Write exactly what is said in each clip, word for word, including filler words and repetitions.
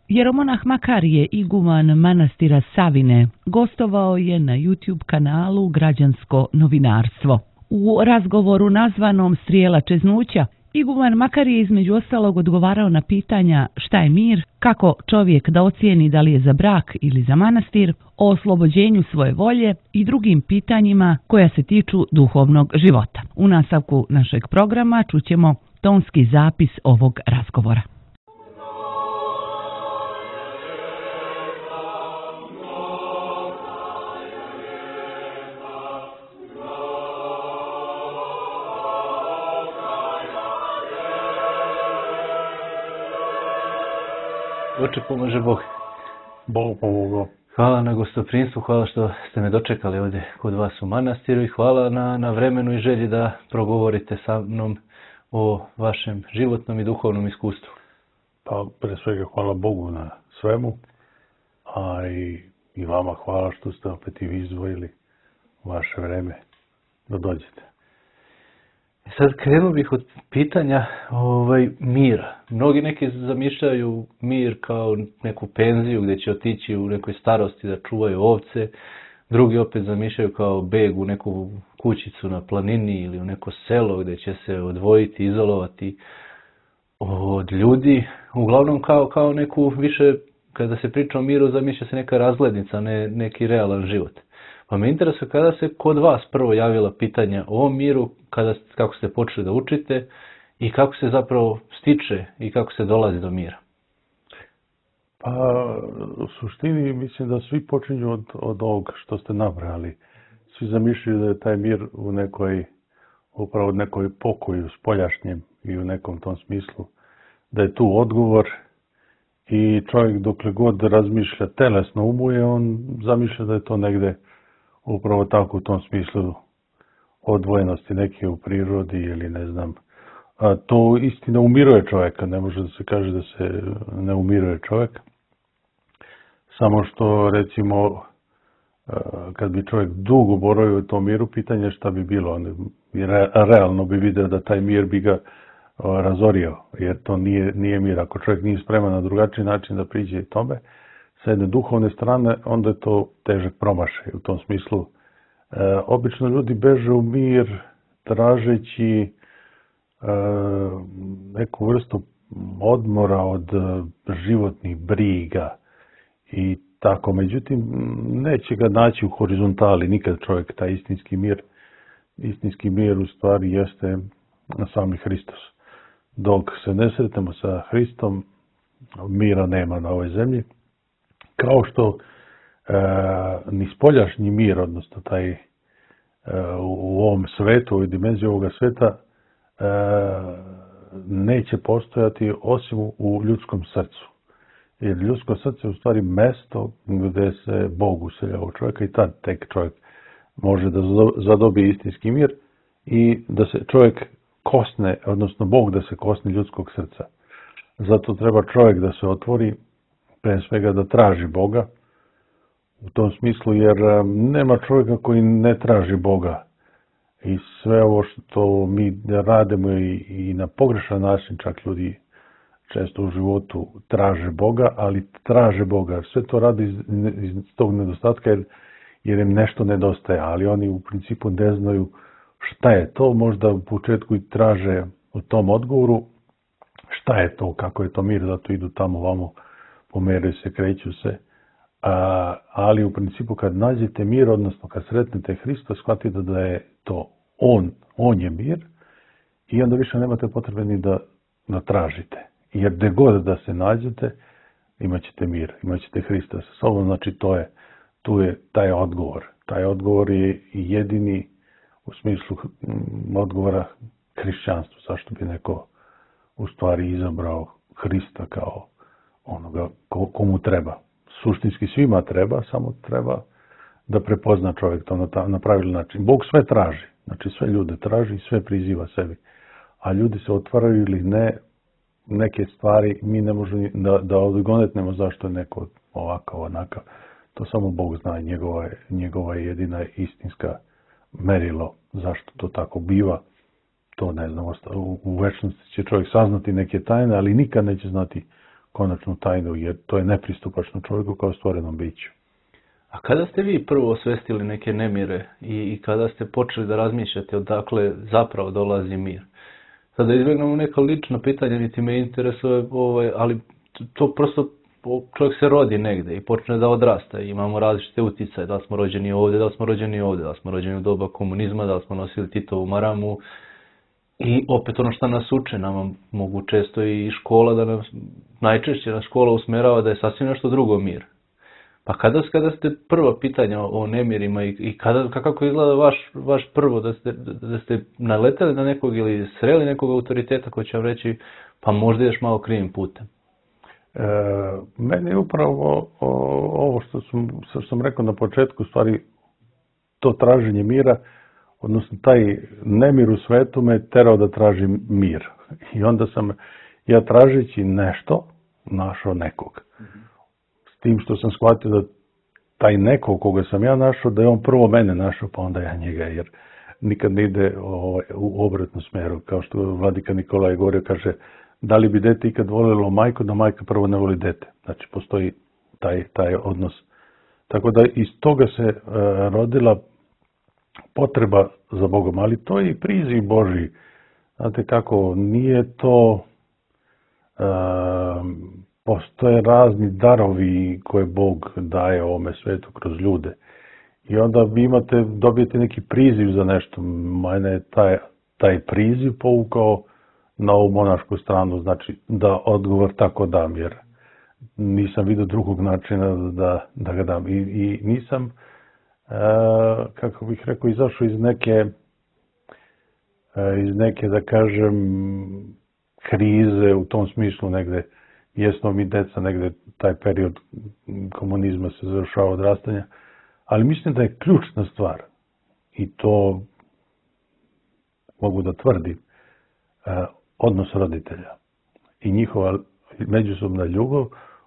Jeromonah Makarije, iguman manastira Savine, gostovao je na YouTube kanalu Građansko novinarstvo. U razgovoru nazvanom Strijela čeznuća, iguman Makarije je između ostalog odgovarao na pitanja šta je mir, kako čovjek da ocijeni da li je za brak ili za manastir, o oslobođenju svoje volje i drugim pitanjima koja se tiču duhovnog života. U nastavku našeg programa čućemo tonski zapis ovog razgovora. Oče, pomaže Bog. Bog pomogao. Hvala na gostoprinstvu, hvala što ste me dočekali ovdje kod vas u manastiru i hvala na, na vremenu i želji da progovorite sa mnom o vašem životnom i duhovnom iskustvu. Pa, pre svega hvala Bogu na svemu, a i, i vama hvala što ste opet i vi izdvojili vaše vreme da dođete. Sad krenuo bih od pitanja ovaj, mira. Mnogi neki zamišljaju mir kao neku penziju gdje će otići u nekoj starosti da čuvaju ovce. Drugi opet zamišljaju kao beg u neku kućicu na planini ili u neko selo gdje će se odvojiti, izolovati od ljudi. Uglavnom kao, kao neku više, kada se priča o miru, zamišlja se neka razglednica, ne neki realan život. Pa me interesuje kada se kod vas prvo javila pitanja o miru, kada, kako ste počeli da učite i kako se zapravo stiče i kako se dolazi do mira. Pa u suštini mislim da svi počinju od, od ovog što ste nabrali. Svi zamišljaju da je taj mir u nekoj, upravo nekoj pokoju spoljašnjem i u nekom tom smislu. Da je tu odgovor i čovjek dokle god razmišlja telesno umuje, on zamišlja da je to negde upravo tako u tom smislu odvojenosti neke u prirodi ili ne znam. A to istina umiruje čovjeka, ne može da se kaže da se ne umiruje čovjek. Samo što recimo kad bi čovjek dugo boravio u tom miru, pitanje šta bi bilo. On realno bi vidio da taj mir bi ga razorio, jer to nije, nije mir. Ako čovjek nije spreman na drugačiji način da priđe tome, sa jedne duhovne strane, onda je to težak promašaj. U tom smislu, e, obično ljudi beže u mir tražeći e, neku vrstu odmora od životnih briga i tako. Međutim, neće ga naći u horizontali nikad čovjek, taj istinski mir. Istinski mir u stvari jeste sami Hristos. Dok se ne sretemo sa Hristom, mira nema na ovoj zemlji. Kao što e, ni spoljašnji mir, odnosno taj e, u ovom svetu, u ovoj dimenziji ovoga sveta, e, neće postojati osim u ljudskom srcu. Jer ljudsko srce je u stvari mesto gdje se Bog uselja u čovjeka i tad tek čovjek može da zadobije istinski mir i da se čovjek kosne, odnosno Bog da se kosne ljudskog srca. Zato treba čovjek da se otvori, pre svega da traži Boga u tom smislu, jer nema čovjeka koji ne traži Boga. I sve ovo što mi radimo i, i na pogrešan način, čak ljudi često u životu traže Boga, ali traže Boga. Sve to radi iz, iz tog nedostatka jer, jer im nešto nedostaje, ali oni u principu ne znaju šta je to. Možda u početku i traže u tom odgovoru šta je to, kako je to mir, zato idu tamo vamo, pomeraju se, kreću se, a, ali u principu kad nađete mir, odnosno kad sretnete Hrista, shvatite da je to On, On je mir i onda više nemate potrebe ni da, da tražite. Jer gdje god da se nađete, imat ćete mir, imat ćete Hrista sa sobom, znači to je, tu je taj odgovor. Taj odgovor je jedini u smislu odgovora hrišćanstvu. Zašto bi neko u stvari izabrao Hrista kao onoga komu treba. Suštinski svima treba, samo treba da prepozna čovjek to na, ta, na pravilan način. Bog sve traži, znači sve ljude traži i sve priziva sebi. A ljudi se otvaraju ili ne, neke stvari mi ne možemo da, da odgonetnemo zašto je neko ovakav, onakav. To samo Bog zna, njegova je, njegova je jedina istinska merilo zašto to tako biva. To ne znam, u, u večnosti će čovjek saznati neke tajne, ali nikad neće znati konačnu tajnu, jer to je nepristupačno čovjeku kao stvorenom biću. A kada ste vi prvo osvestili neke nemire i, i kada ste počeli da razmišljate odakle zapravo dolazi mir? Sada izbjegnemo neka lična pitanja, niti me interesuje, ovaj, ali to prosto čovjek se rodi negde i počne da odrasta. Imamo različite uticaje, da li smo rođeni ovdje, da li smo rođeni ovdje, da li smo rođeni u doba komunizma, da li smo nosili Titovu maramu. I opet ono što nas uče, nama mogu često i škola da nas, najčešće nas škola usmerava da je sasvim nešto drugo mir. Pa kada, kada ste prva pitanja o nemirima i, i kada, kako izgleda vaš, vaš prvo, da ste, da ste naleteli na nekog ili sreli nekog autoriteta koji će vam reći pa možda ideš malo krivim putem? E, meni je upravo o, ovo što sam, što sam rekao na početku, stvari to traženje mira, odnosno taj nemir u svetu me terao da tražim mir. I onda sam ja tražeći nešto našao nekog. S tim što sam shvatio da taj neko koga sam ja našao, da je on prvo mene našao, pa onda ja njega, jer nikad ne ide ovaj, u obratnu smeru. Kao što vladika Nikolaj govorio, kaže, da li bi dete ikad volilo majku, da majka prvo ne voli dete. Znači, postoji taj, taj odnos. Tako da iz toga se uh, rodila potreba za Bogom, ali to je i priziv Božji. Znate kako, nije to, uh, postoje razni darovi koje Bog daje ovome svetu kroz ljude. I onda vi imate, dobijete neki priziv za nešto. Mene je taj, taj priziv povukao na ovu monašku stranu, znači da odgovor tako dam, jer nisam vidio drugog načina da, da ga dam. I, i nisam, e, kako bih rekao, izašao iz neke, e, iz neke, da kažem, krize u tom smislu negde. Jesmo mi deca, negde taj period komunizma se završava odrastanja, ali mislim da je ključna stvar, i to mogu da tvrdim, e, odnos roditelja i njihova međusobna ljubav,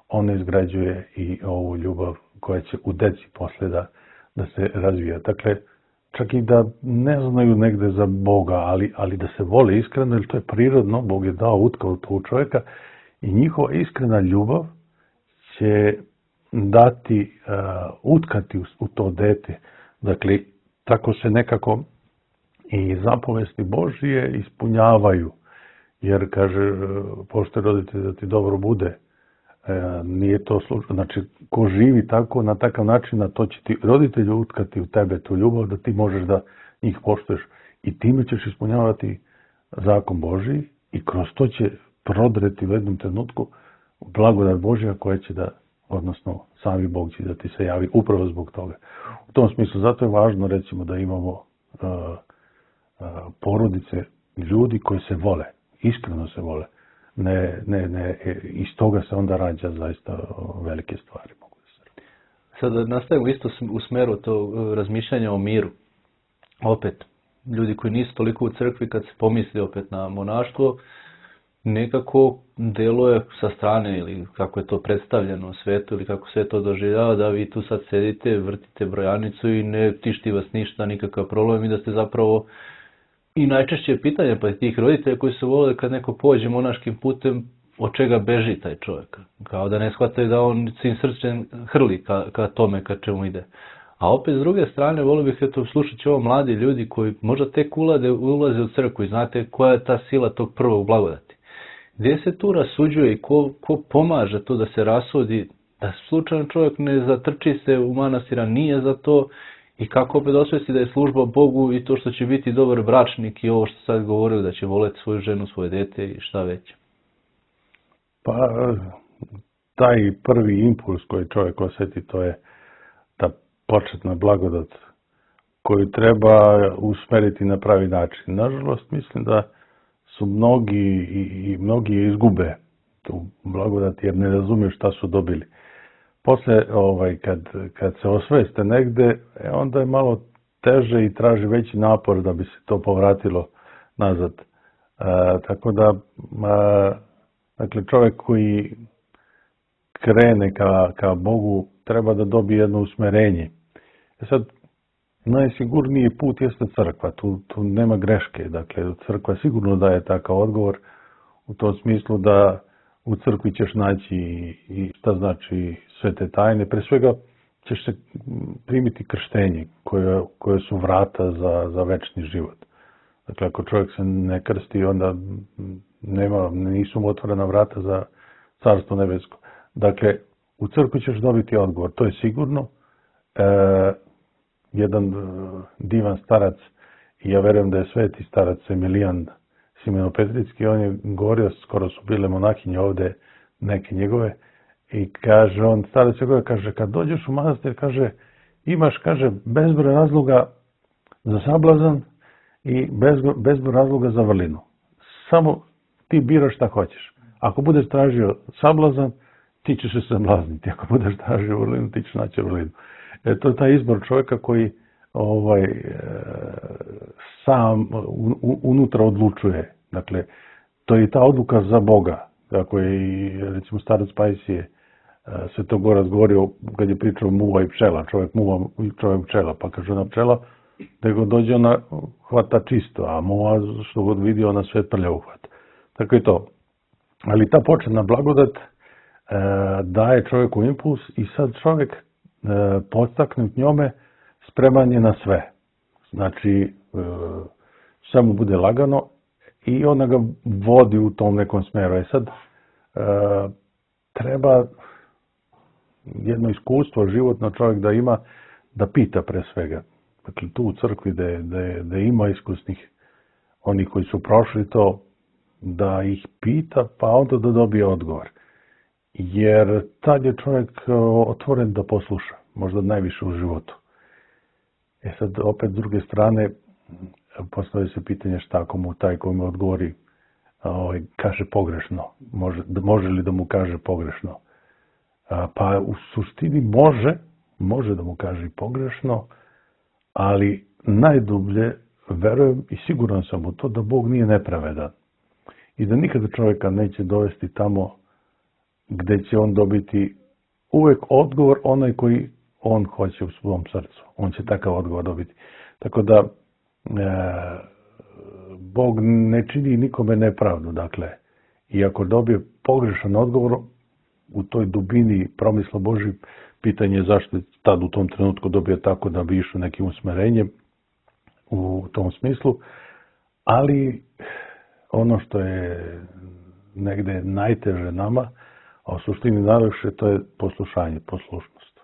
ona izgrađuje i ovu ljubav koja će u deci posle da, da se razvija. Dakle, čak i da ne znaju negde za Boga, ali, ali da se vole iskreno, jer to je prirodno, Bog je dao utkao to u čovjeka i njihova iskrena ljubav će dati, uh, utkati u, u to dete. Dakle, tako se nekako i zapovesti Božije ispunjavaju. Jer, kaže, pošto roditelj da ti dobro bude, e, nije to slučaj. Znači, ko živi tako, na takav način, a to će ti roditelj utkati u tebe tu ljubav, da ti možeš da njih poštuješ. I time ćeš ispunjavati zakon Božiji i kroz to će prodreti u jednom trenutku blagodat Božja koja će da, odnosno, sami Bog će da ti se javi upravo zbog toga. U tom smislu, zato je važno, recimo, da imamo uh, uh, porodice ljudi koji se vole. Iskreno se vole. Ne, ne, ne, iz toga se onda rađa zaista velike stvari. Mogu da se radi. Sada nastavimo isto u smeru tog razmišljanja o miru. Opet, ljudi koji nisu toliko u crkvi, kad se pomisli opet na monaštvo, nekako deluje sa strane, ili kako je to predstavljeno u svetu, ili kako se to doživljava, da vi tu sad sedite, vrtite brojanicu i ne tišti vas ništa, nikakav problem, i da ste zapravo. I najčešće je pitanje pa tih roditelja koji se vole kad neko pođe monaškim putem, od čega beži taj čovjek. Kao da ne shvataju da on svim srcem hrli ka, ka tome ka čemu ide. A opet s druge strane, volio bih eto slušati ovo mladi ljudi koji možda tek ulaze, ulaze u crkvu i znate koja je ta sila tog prvog blagodati. Gdje se tu rasuđuje i ko, ko pomaže to da se rasudi, da slučajno čovjek ne zatrči se u manastira, nije za to. I kako opet osvesti da je služba Bogu i to što će biti dobar bračnik i ovo što sad govorili da će voleti svoju ženu, svoje dete i šta već. Pa taj prvi impuls koji čovjek osjeti, to je ta početna blagodat koju treba usmeriti na pravi način. Nažalost, mislim da su mnogi i, i mnogi izgube tu blagodat jer ne razumiju šta su dobili. Posle, ovaj, kad, kad se osveste negde, onda je malo teže i traži veći napor da bi se to povratilo nazad. E, tako da, e, dakle, čovjek koji krene ka, ka Bogu treba da dobije jedno usmerenje. E sad, najsigurniji put jeste crkva, tu, tu nema greške. Dakle, crkva sigurno daje takav odgovor u tom smislu da u crkvi ćeš naći i šta znači sve te tajne. Pre svega ćeš se primiti krštenje koje, koje su vrata za, za večni život. Dakle, ako čovjek se ne krsti, onda nema, nisu mu otvorena vrata za carstvo nebesko. Dakle, u crkvi ćeš dobiti odgovor, to je sigurno. E, jedan e, divan starac, i ja verujem da je sveti starac Emilijan Simeno-Petritski, on je govorio, skoro su bile monahinje ovde, neke njegove, i kaže, on starac je govorio, kaže, kad dođeš u manastir, kaže, imaš, kaže, bezbroj razloga za sablazan i bezbroj, bezbroj razloga za vrlinu. Samo ti biraš šta hoćeš. Ako budeš tražio sablazan, ti ćeš se sablazniti. Ako budeš tražio vrlinu, ti ćeš naći vrlinu. E, to je taj izbor čovjeka koji ovaj, e, sam u, unutra odlučuje. Dakle, to je i ta odluka za Boga. Kako je i, recimo, starac Pajsije e, Svetog Gora govorio kad je pričao muva i pčela. Čovjek muva i čovjek pčela. Pa kaže ona pčela, da god dođe ona hvata čisto, a muva što god vidi ona sve prlja uhvat. Tako je to. Ali ta početna blagodat e, daje čovjeku impuls i sad čovjek e, podstaknut njome spreman je na sve. Znači, e, sve mu bude lagano i ona ga vodi u tom nekom smeru. E sad, e, treba jedno iskustvo životno čovjek da ima, da pita pre svega. Dakle, tu u crkvi da, da, da ima iskusnih, oni koji su prošli to, da ih pita, pa onda da dobije odgovor. Jer tad je čovjek otvoren da posluša, možda najviše u životu. E sad, opet s druge strane, postavlja se pitanje šta ako mu taj koji mu odgovori ovaj, kaže pogrešno. Može, može li da mu kaže pogrešno? A, pa u suštini može, može da mu kaže i pogrešno, ali najdublje verujem i siguran sam u to da Bog nije nepravedan. I da nikada čovjeka neće dovesti tamo gdje će on dobiti uvijek odgovor onaj koji on hoće u svom srcu. On će takav odgovor dobiti. Tako da e, Bog ne čini nikome nepravdu. Dakle, i ako dobije pogrešan odgovor u toj dubini promisla Božji, pitanje je zašto je tad u tom trenutku dobio tako da bi išao nekim usmerenjem u tom smislu. Ali ono što je negde najteže nama, a u suštini najlakše, to je poslušanje, poslušnost.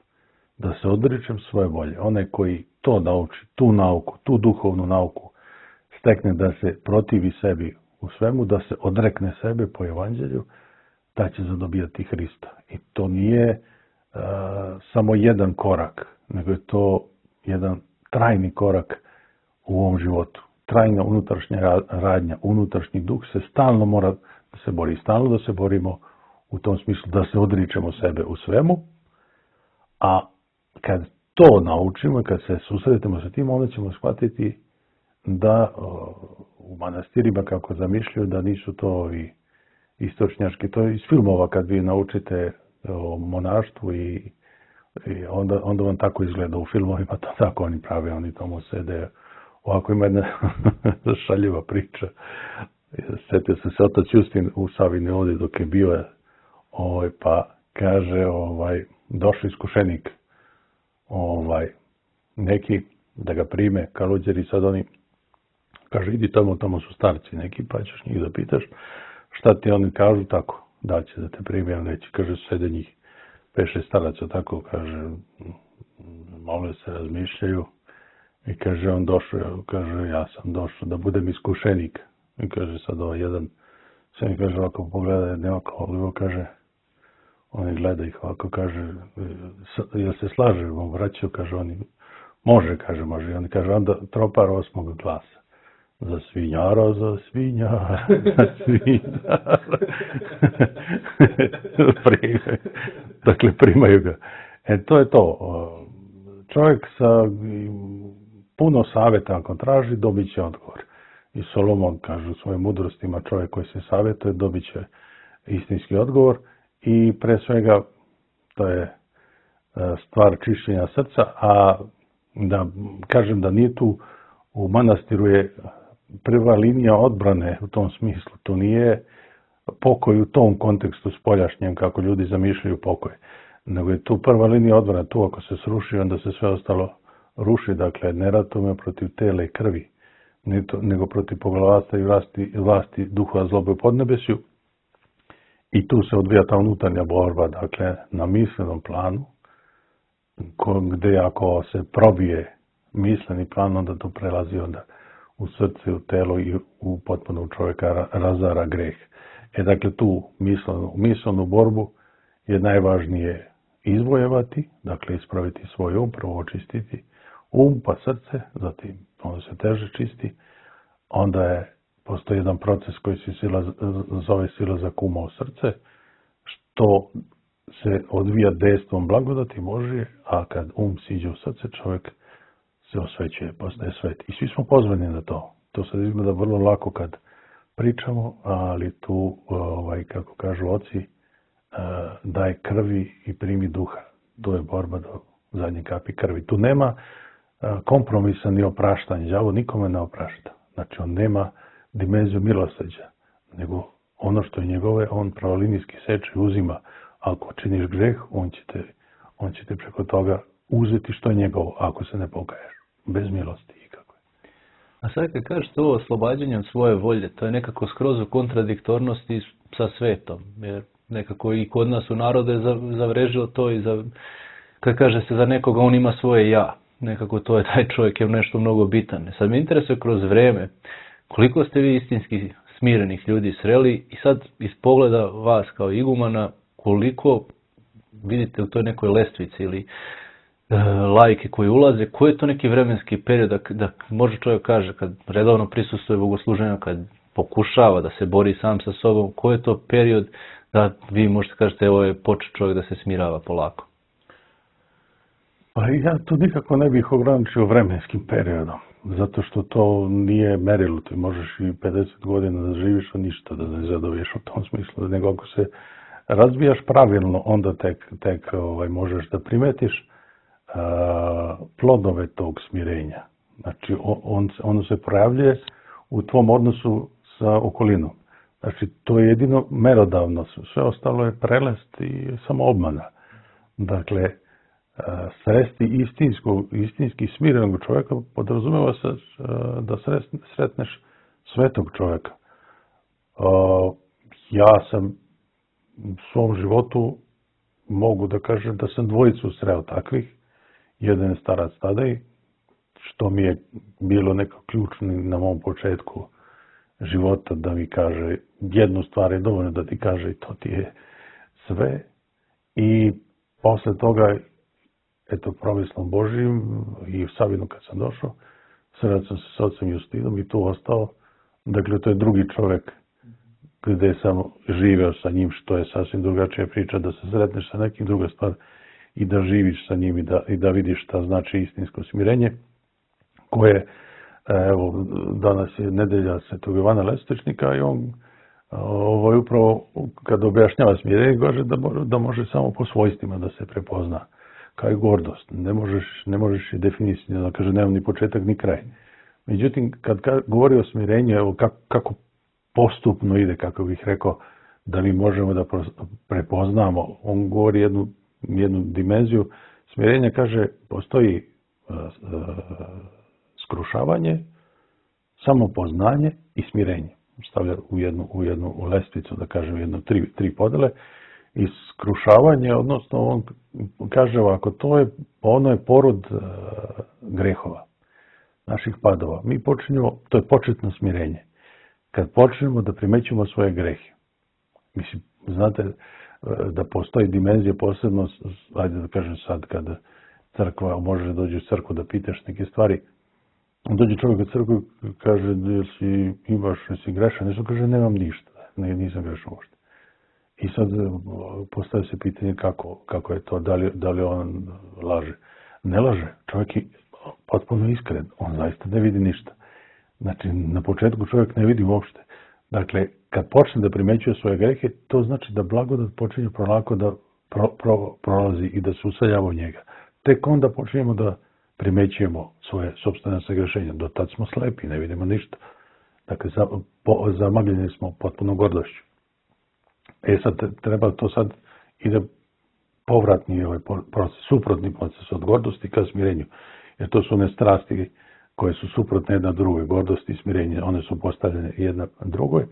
Da se odričem svoje volje. Onaj koji to nauči, tu nauku, tu duhovnu nauku, stekne da se protivi sebi u svemu, da se odrekne sebe po evanđelju, da će zadobijati Hrista. I to nije uh, samo jedan korak, nego je to jedan trajni korak u ovom životu. Trajna unutrašnja radnja, unutrašnji duh se stalno mora da se bori. Stalno da se borimo u tom smislu da se odričemo sebe u svemu, a kad to naučimo, kad se susretimo sa tim, onda ćemo shvatiti da u manastirima, kako zamišljaju, da nisu to ovi istočnjački, to je iz filmova kad vi naučite o monaštvu i, i onda, onda vam tako izgleda u filmovima, to tako oni prave, oni tamo sede. Ovako ima jedna šaljiva priča. Sjetio se se otac Justin u Savini ovdje dok je bio, ovaj, pa kaže, ovaj, došao iskušenik, ovaj, neki da ga prime, kaluđeri, sad oni, kaže, idi tamo, tamo su starci neki, pa ćeš njih da pitaš, šta ti oni kažu, tako, da će da te prime, on reći, kaže, sede njih, peše staraca, tako, kaže, malo se razmišljaju. I kaže, on došao, kaže, ja sam došao da budem iskušenik. I kaže, sad ovaj jedan, sve mi kaže, ovako pogleda, nema kao, kaže, oni gleda ih ovako, kaže, jel se slažemo, vraćaju, kaže, oni, može, kaže, može. I oni kaže, onda tropar osmog glasa. Za svinjara, za svinjara, za svinjara. Primaju. Dakle, primaju ga. E, to je to. Čovjek sa puno savjeta ako traži, dobit će odgovor. I Solomon kaže u svojim mudrostima, čovjek koji se savjetuje, dobit će istinski odgovor. I pre svega, to je stvar čišćenja srca, a da kažem da nije tu, u manastiru je prva linija odbrane u tom smislu. To nije pokoj u tom kontekstu spoljašnjem kako ljudi zamišljaju pokoj. Nego je tu prva linija odbrana, tu ako se sruši, onda se sve ostalo ruši. Dakle, ne ratujemo protiv tela i krvi, nego protiv poglavarstva i vlasti, vlasti duhova zlobe u podnebesju. I tu se odvija ta unutarnja borba, dakle, na mislenom planu, gdje ako se probije misleni plan, onda to prelazi onda u srce, u telo i u potpuno u čovjeka razara greh. E, dakle, tu mislenu, mislenu borbu je najvažnije izvojevati, dakle, ispraviti svoj um, prvo očistiti um, pa srce, zatim ono se teže čisti, onda je, postoji jedan proces koji se sila, zove silazak uma u srce, što se odvija dejstvom blagodati Božje, a kad um siđe u srce, čovjek se osvećuje, postaje svet. I svi smo pozvani na to. To se izgleda vrlo lako kad pričamo, ali tu, ovaj, kako kažu oci, daj krvi i primi duha. To je borba do zadnje kapi krvi. Tu nema kompromisa ni opraštanja. Đavo nikome ne oprašta. Znači, on nema dimenziju milosrđa, nego ono što je njegove, on pravolinijski seče i uzima. Ako činiš greh, on će te, on će te preko toga uzeti što je njegovo, ako se ne pokaješ. Bez milosti ikako. A sad kad kažeš to oslobađanje od svoje volje, to je nekako skroz u kontradiktornosti sa svetom. Jer nekako i kod nas u narode je zavrežilo to i za, kad kaže se za nekoga on ima svoje ja. Nekako to je taj čovjek je nešto mnogo bitan. Sad me interesuje kroz vreme koliko ste vi istinski smirenih ljudi sreli i sad iz pogleda vas kao igumana koliko vidite u toj nekoj lestvici ili e, lajke koji ulaze, koji je to neki vremenski period da, da može čovjek kaže kad redovno prisustuje bogosluženju, kad pokušava da se bori sam sa sobom, koji je to period da vi možete kažete evo je počeo čovjek da se smirava polako? Pa ja tu nikako ne bih ograničio vremenskim periodom, zato što to nije merilo. Ti možeš i pedeset godina da živiš, a ništa da ne zadobiješ u tom smislu. Nego ako se razvijaš pravilno, onda tek, tek ovaj, možeš da primetiš a, plodove tog smirenja. Znači, on, ono se projavljuje u tvom odnosu sa okolinom. Znači, to je jedino merodavno. Sve ostalo je prelest i samo obmana. Dakle, sresti istinskog, istinski smirenog čovjeka podrazumeva se da sretneš svetog čovjeka. Ja sam u svom životu mogu da kažem da sam dvojicu sreo takvih. Jedan je starac Tadej, što mi je bilo neko ključno na mom početku života da mi kaže jednu stvar je dovoljno da ti kaže i to ti je sve. I posle toga eto, promislom Božijim i u Savinu kad sam došao, sreo sam se s ocem Justinom i tu ostao. Dakle, to je drugi čovjek gdje sam živeo sa njim, što je sasvim drugačija priča, da se sretneš sa nekim, druga stvar i da živiš sa njim i da, i da vidiš šta znači istinsko smirenje, koje, evo, danas je nedelja Svetog Jovana Lestvečnika i on ovo je upravo kad objašnjava smirenje, kaže da, da može samo po svojstvima da se prepozna. Kao i gordost. Ne možeš, ne možeš je definisati, da kaže, nema ni početak ni kraj. Međutim, kad ka, govori o smirenju, evo kako, kako postupno ide, kako bih rekao, da mi možemo da prepoznamo, on govori jednu, jednu dimenziju. Smirenje kaže, postoji uh, uh, skrušavanje, samopoznanje i smirenje. Stavlja u jednu, u jednu lestvicu, da kažem, jedno tri, tri podele. I skrušavanje, odnosno on kaže ovako, to je, ono je porod uh, grehova, naših padova. Mi počinjemo, to je početno smirenje. Kad počnemo da primećujemo svoje grehe. Mislim, znate da postoji dimenzija posebno, ajde da kažem sad, kada crkva, može dođe u crkvu da pitaš neke stvari, dođe čovjek u crkvu i kaže, jel si imaš, jel si grešan, nešto kaže, nemam ništa, ne, nisam grešan uopšte. I sad postavlja se pitanje kako, kako je to, da li, da li on laže. Ne laže, čovjek je potpuno iskren, on zaista ne vidi ništa. Znači, na početku čovjek ne vidi uopšte. Dakle, kad počne da primećuje svoje grehe, to znači da blagodat počinje prolako da pro, pro, prolazi i da se useljava u njega. Tek onda počinjemo da primećujemo svoje sopstvene sagrešenja. Do tad smo slepi, ne vidimo ništa. Dakle, za, po, zamagljeni smo potpuno gordošću. E sad, treba to sad ide povratni ovaj proces, suprotni proces od gordosti ka smirenju. Jer to su one strasti koje su suprotne jedna drugoj, gordosti i smirenje, one su postavljene jedna drugoj.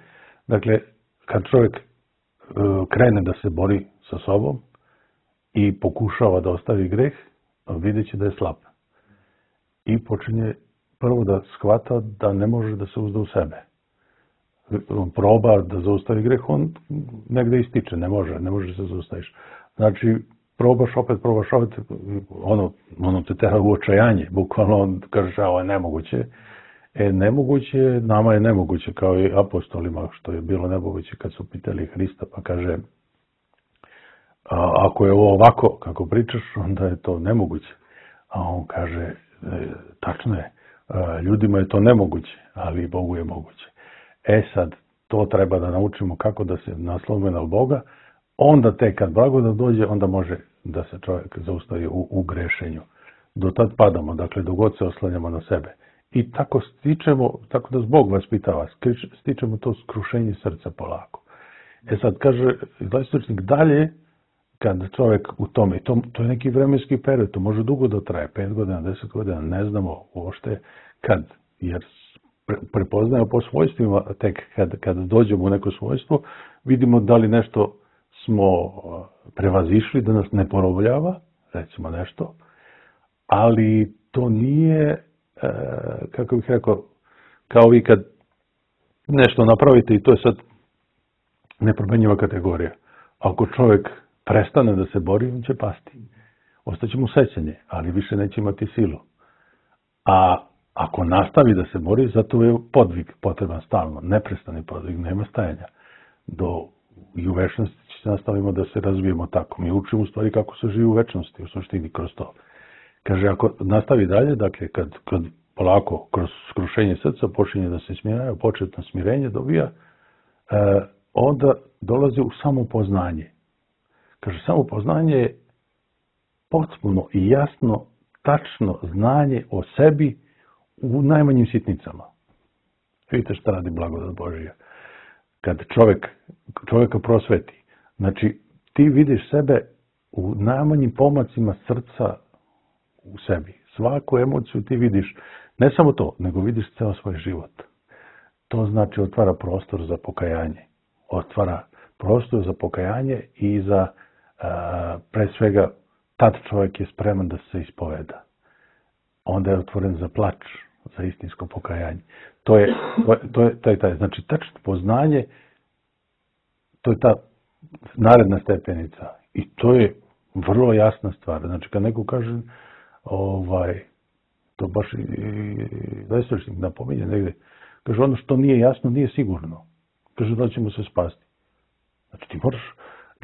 Dakle, kad čovjek krene da se bori sa sobom i pokušava da ostavi greh, vidjet će da je slab. I počinje prvo da shvata da ne može da se uzda u sebe. On proba da zaustavi greh, on negde ističe, ne može, ne može se zaustaviš. Znači, probaš opet, probaš opet, ono, ono te tera u očajanje, bukvalno on kaže, ovo je nemoguće. E, nemoguće, nama je nemoguće, kao i apostolima, što je bilo nemoguće kad su pitali Hrista, pa kaže, a, ako je ovo ovako, kako pričaš, onda je to nemoguće. A on kaže, e, tačno je, a, ljudima je to nemoguće, ali Bogu je moguće. E sad, to treba da naučimo kako da se naslonimo na Boga, onda tek kad blagodat dođe, onda može da se čovjek zaustavi u, u grešenju. Do tad padamo, dakle, dok god se oslanjamo na sebe. I tako stičemo, tako da Bog vaspitava, stičemo to skrušenje srca polako. E sad, kaže istočnik, dalje, kad čovjek u tome, to, to je neki vremenski period, to može dugo da traje, pet godina, deset godina, ne znamo uopšte kad, jer prepoznajemo po svojstvima, tek kad, kad dođemo u neko svojstvo, vidimo da li nešto smo prevazišli, da nas ne porobljava, recimo nešto, ali to nije, e, kako bih rekao, kao vi kad nešto napravite i to je sad nepromenjiva kategorija. Ako čovjek prestane da se bori, on će pasti. Ostaće mu sećanje, ali više neće imati silu. A ako nastavi da se bori, zato je podvig potreban stalno, neprestani podvig, nema stajanja. Do, I u večnosti će nastavimo da se razvijemo tako. Mi učimo u stvari kako se živi u večnosti, u suštini kroz to. Kaže, ako nastavi dalje, dakle, kad, kad polako kroz skrušenje srca počinje da se smiraju, početno smirenje dobija, e, onda dolazi u samopoznanje. Kaže, samopoznanje je potpuno i jasno, tačno znanje o sebi u najmanjim sitnicama. Vidite šta radi blagodat Božija. Kad čovjek, čovjeka prosveti, znači ti vidiš sebe u najmanjim pomacima srca u sebi. Svaku emociju ti vidiš, ne samo to, nego vidiš ceo svoj život. To znači otvara prostor za pokajanje. Otvara prostor za pokajanje i za, a, pre svega, tad čovjek je spreman da se ispoveda. Onda je otvoren za plač, za istinsko pokajanje. To je, to je, to je taj, taj, znači tačno poznanje, to je ta naredna stepenica. I to je vrlo jasna stvar. Znači, kad neko kaže, ovaj, to baš i, i Vestočnik napominje negdje, kaže, ono što nije jasno, nije sigurno. Kaže, da ćemo se spasti. Znači, ti moraš,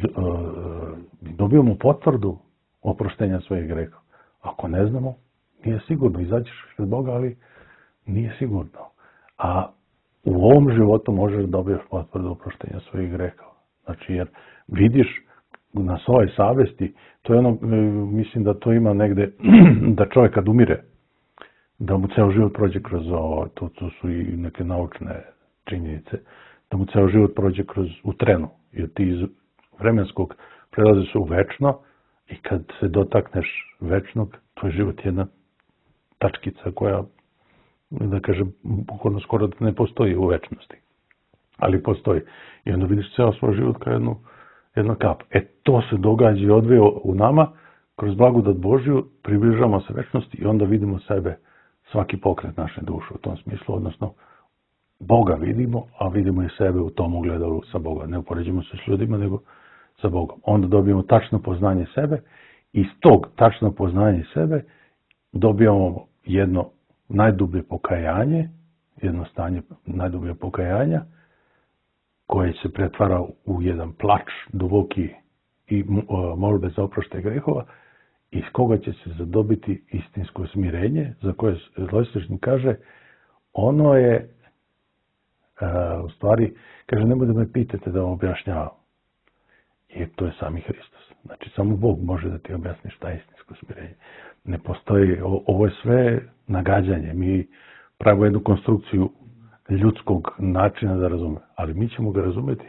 uh, dobijemo potvrdu oproštenja svojih greha. Ako ne znamo, nije sigurno. Izaćeš pred Boga, ali nije sigurno. A u ovom životu možeš dobiješ potvrdu oproštenja svojih greha. Znači, jer vidiš na svojoj savesti, to je ono, mislim da to ima negde, da čovjek kad umire, da mu ceo život prođe kroz ovo, to, to su i neke naučne činjenice, da mu ceo život prođe kroz, u trenu, jer ti iz vremenskog prelaziš u večno i kad se dotakneš večnog, tvoj život je jedna tačkica koja, da kažem, bukvalno skoro da ne postoji u večnosti. Ali postoji. I onda vidiš ceo svoj život kao jednu, jednu kap. E to se događa i odvija u nama, kroz blagodat Božju, približavamo se večnosti i onda vidimo sebe, svaki pokret naše duše u tom smislu, odnosno Boga vidimo, a vidimo i sebe u tom ugledalu sa Boga. Ne upoređujemo se s ljudima, nego sa Bogom. Onda dobijemo tačno poznanje sebe i iz tog tačno poznanje sebe dobijamo jedno najdublje pokajanje, jedno stanje najdublje pokajanja, koje se pretvara u jedan plač duboki i molbe za oproštaj grehova, iz koga će se zadobiti istinsko smirenje, za koje Zloistočnik kaže, ono je, u stvari, kaže, nemoj da me pitate da vam objašnjavam. Jer to je sami Hristos. Znači, samo Bog može da ti objasni šta je istinsko smirenje. Ne postoji, ovo je sve nagađanje. Mi pravimo jednu konstrukciju ljudskog načina da razume. Ali mi ćemo ga razumjeti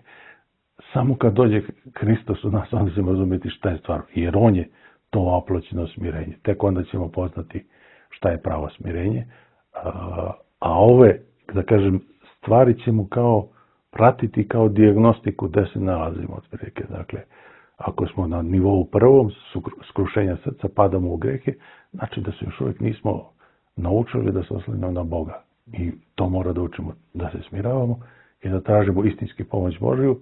samo kad dođe Hristos u nas, onda ćemo razumjeti šta je stvar. Jer on je to oploćeno smirenje. Tek onda ćemo poznati šta je pravo smirenje. A, a ove, da kažem, stvari ćemo kao pratiti kao dijagnostiku gde se nalazimo otprilike. Dakle, ako smo na nivou prvom skrušenja srca, padamo u grehe, znači da se još uvijek nismo naučili da se oslanjamo na Boga. I to mora da učimo, da se smiravamo i da tražimo istinski pomoć Božiju,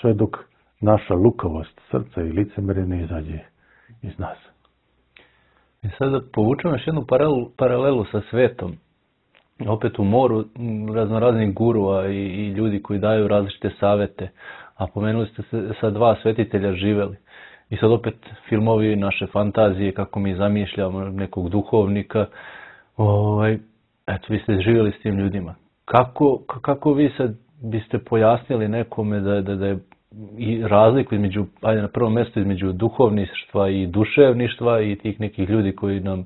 sve dok naša lukavost srca i licemerje ne izađe iz nas. I sad da povučemo još jednu paralelu, paralelu sa svetom. Opet u moru raznoraznih gurua i, i ljudi koji daju različite savete. A pomenuli ste se sa dva svetitelja živeli. I sad opet filmovi, naše fantazije, kako mi zamišljamo nekog duhovnika. Ovaj, eto, vi ste živjeli s tim ljudima. Kako, kako vi sad biste pojasnili nekome da, da, da je i razliku između, ajde na prvom mjestu, između duhovništva i duševništva i tih nekih ljudi koji nam,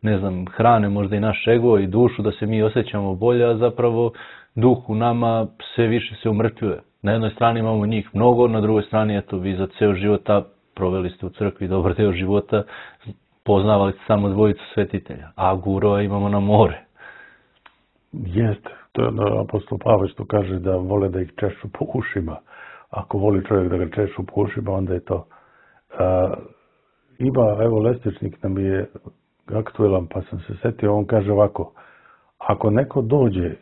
ne znam, hrane možda i naš ego i dušu, da se mi osjećamo bolje, a zapravo duh u nama sve više se umrtvljuje. Na jednoj strani imamo njih mnogo, na drugoj strani, eto, vi za ceo života proveli ste u crkvi dobar deo života, poznavali ste samo dvojicu svetitelja, a gurova imamo na more. Jeste, to je ono apostol Pavle što kaže da vole da ih češu po ušima. Ako voli čovjek da ga češu po ušima, onda je to. A, ima, evo, Lestičnik nam je aktuelan, pa sam se setio, on kaže ovako, ako neko dođe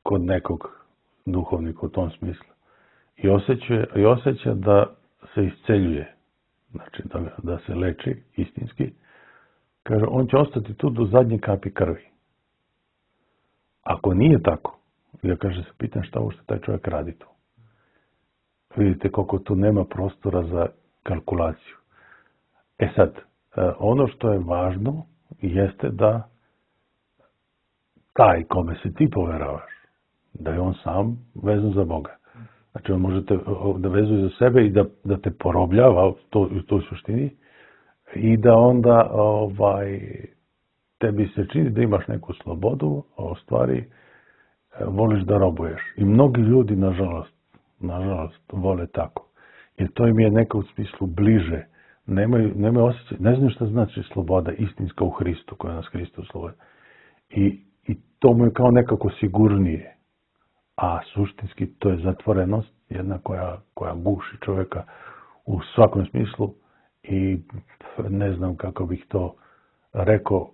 kod nekog duhovnika u tom smislu i osjeća, i osjeća da se isceljuje, znači da, da se leči istinski, kaže, on će ostati tu do zadnje kapi krvi. Ako nije tako, ja kaže se pitam šta uopšte taj čovjek radi tu. Vidite koliko tu nema prostora za kalkulaciju. E sad, ono što je važno jeste da taj kome se ti poveravaš, da je on sam vezan za Boga. Znači on može te da vezuje za sebe i da, da te porobljava to, u toj suštini i da onda ovaj, tebi se čini da imaš neku slobodu, a u stvari voliš da robuješ. I mnogi ljudi, nažalost, nažalost, vole tako. Jer to im je neka u smislu bliže. Nemaju, nemaju osjećaj, ne znaju šta znači sloboda istinska u Hristu, koja nas Hristo slobodi. I, I to mu je kao nekako sigurnije. A suštinski to je zatvorenost, jedna koja, koja guši čovjeka u svakom smislu i ne znam kako bih to rekao,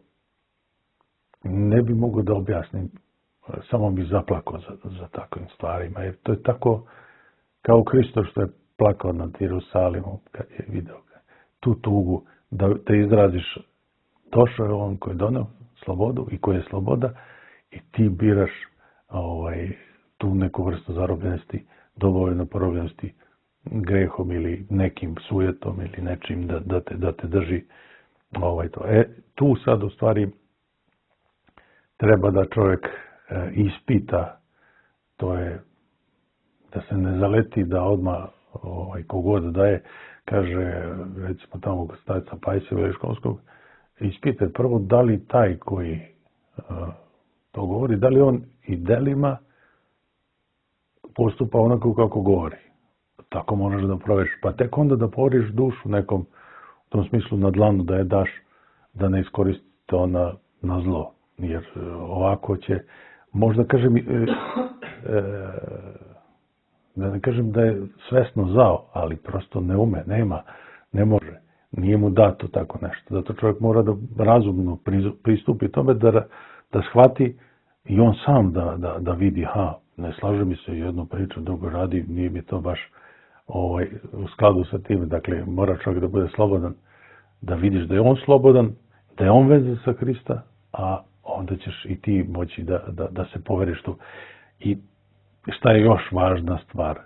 ne bi mogao da objasnim, samo bih zaplakao za, za takvim stvarima, jer to je tako kao Hristo što je plakao nad Jerusalimom kad je video tu tugu da, da izraziš. Došao je on koji je doneo slobodu i koji je sloboda i ti biraš ovaj, tu neku vrstu zarobljenosti, dovoljno porobljenosti grehom ili nekim sujetom ili nečim da, da, te, da te drži ovaj, to. E, tu sad u stvari treba da čovjek e, ispita, to je da se ne zaleti da odmah ovaj, kogod daje, kaže, recimo tamo kod starca Pajsa Veliškovskog, ispite prvo da li taj koji uh, to govori, da li on i delima postupa onako kako govori. Tako možeš da proveriš. Pa tek onda da poveriš dušu nekom, u tom smislu na dlanu da je daš, da ne iskoristi to na, na zlo. Jer uh, ovako će, možda kažem, e, e, da ne kažem da je svesno zao, ali prosto ne ume, nema, ne može. Nije mu dato tako nešto. Zato čovjek mora da razumno pristupi tome, da, da shvati i on sam da, da, da vidi, ha, ne slaže mi se jednu priču, drugo radi, nije mi to baš ovaj, u skladu sa tim. Dakle, mora čovjek da bude slobodan, da vidiš da je on slobodan, da je on vezan sa Hrista, a onda ćeš i ti moći da, da, da se poveriš tu. I šta je još važna stvar?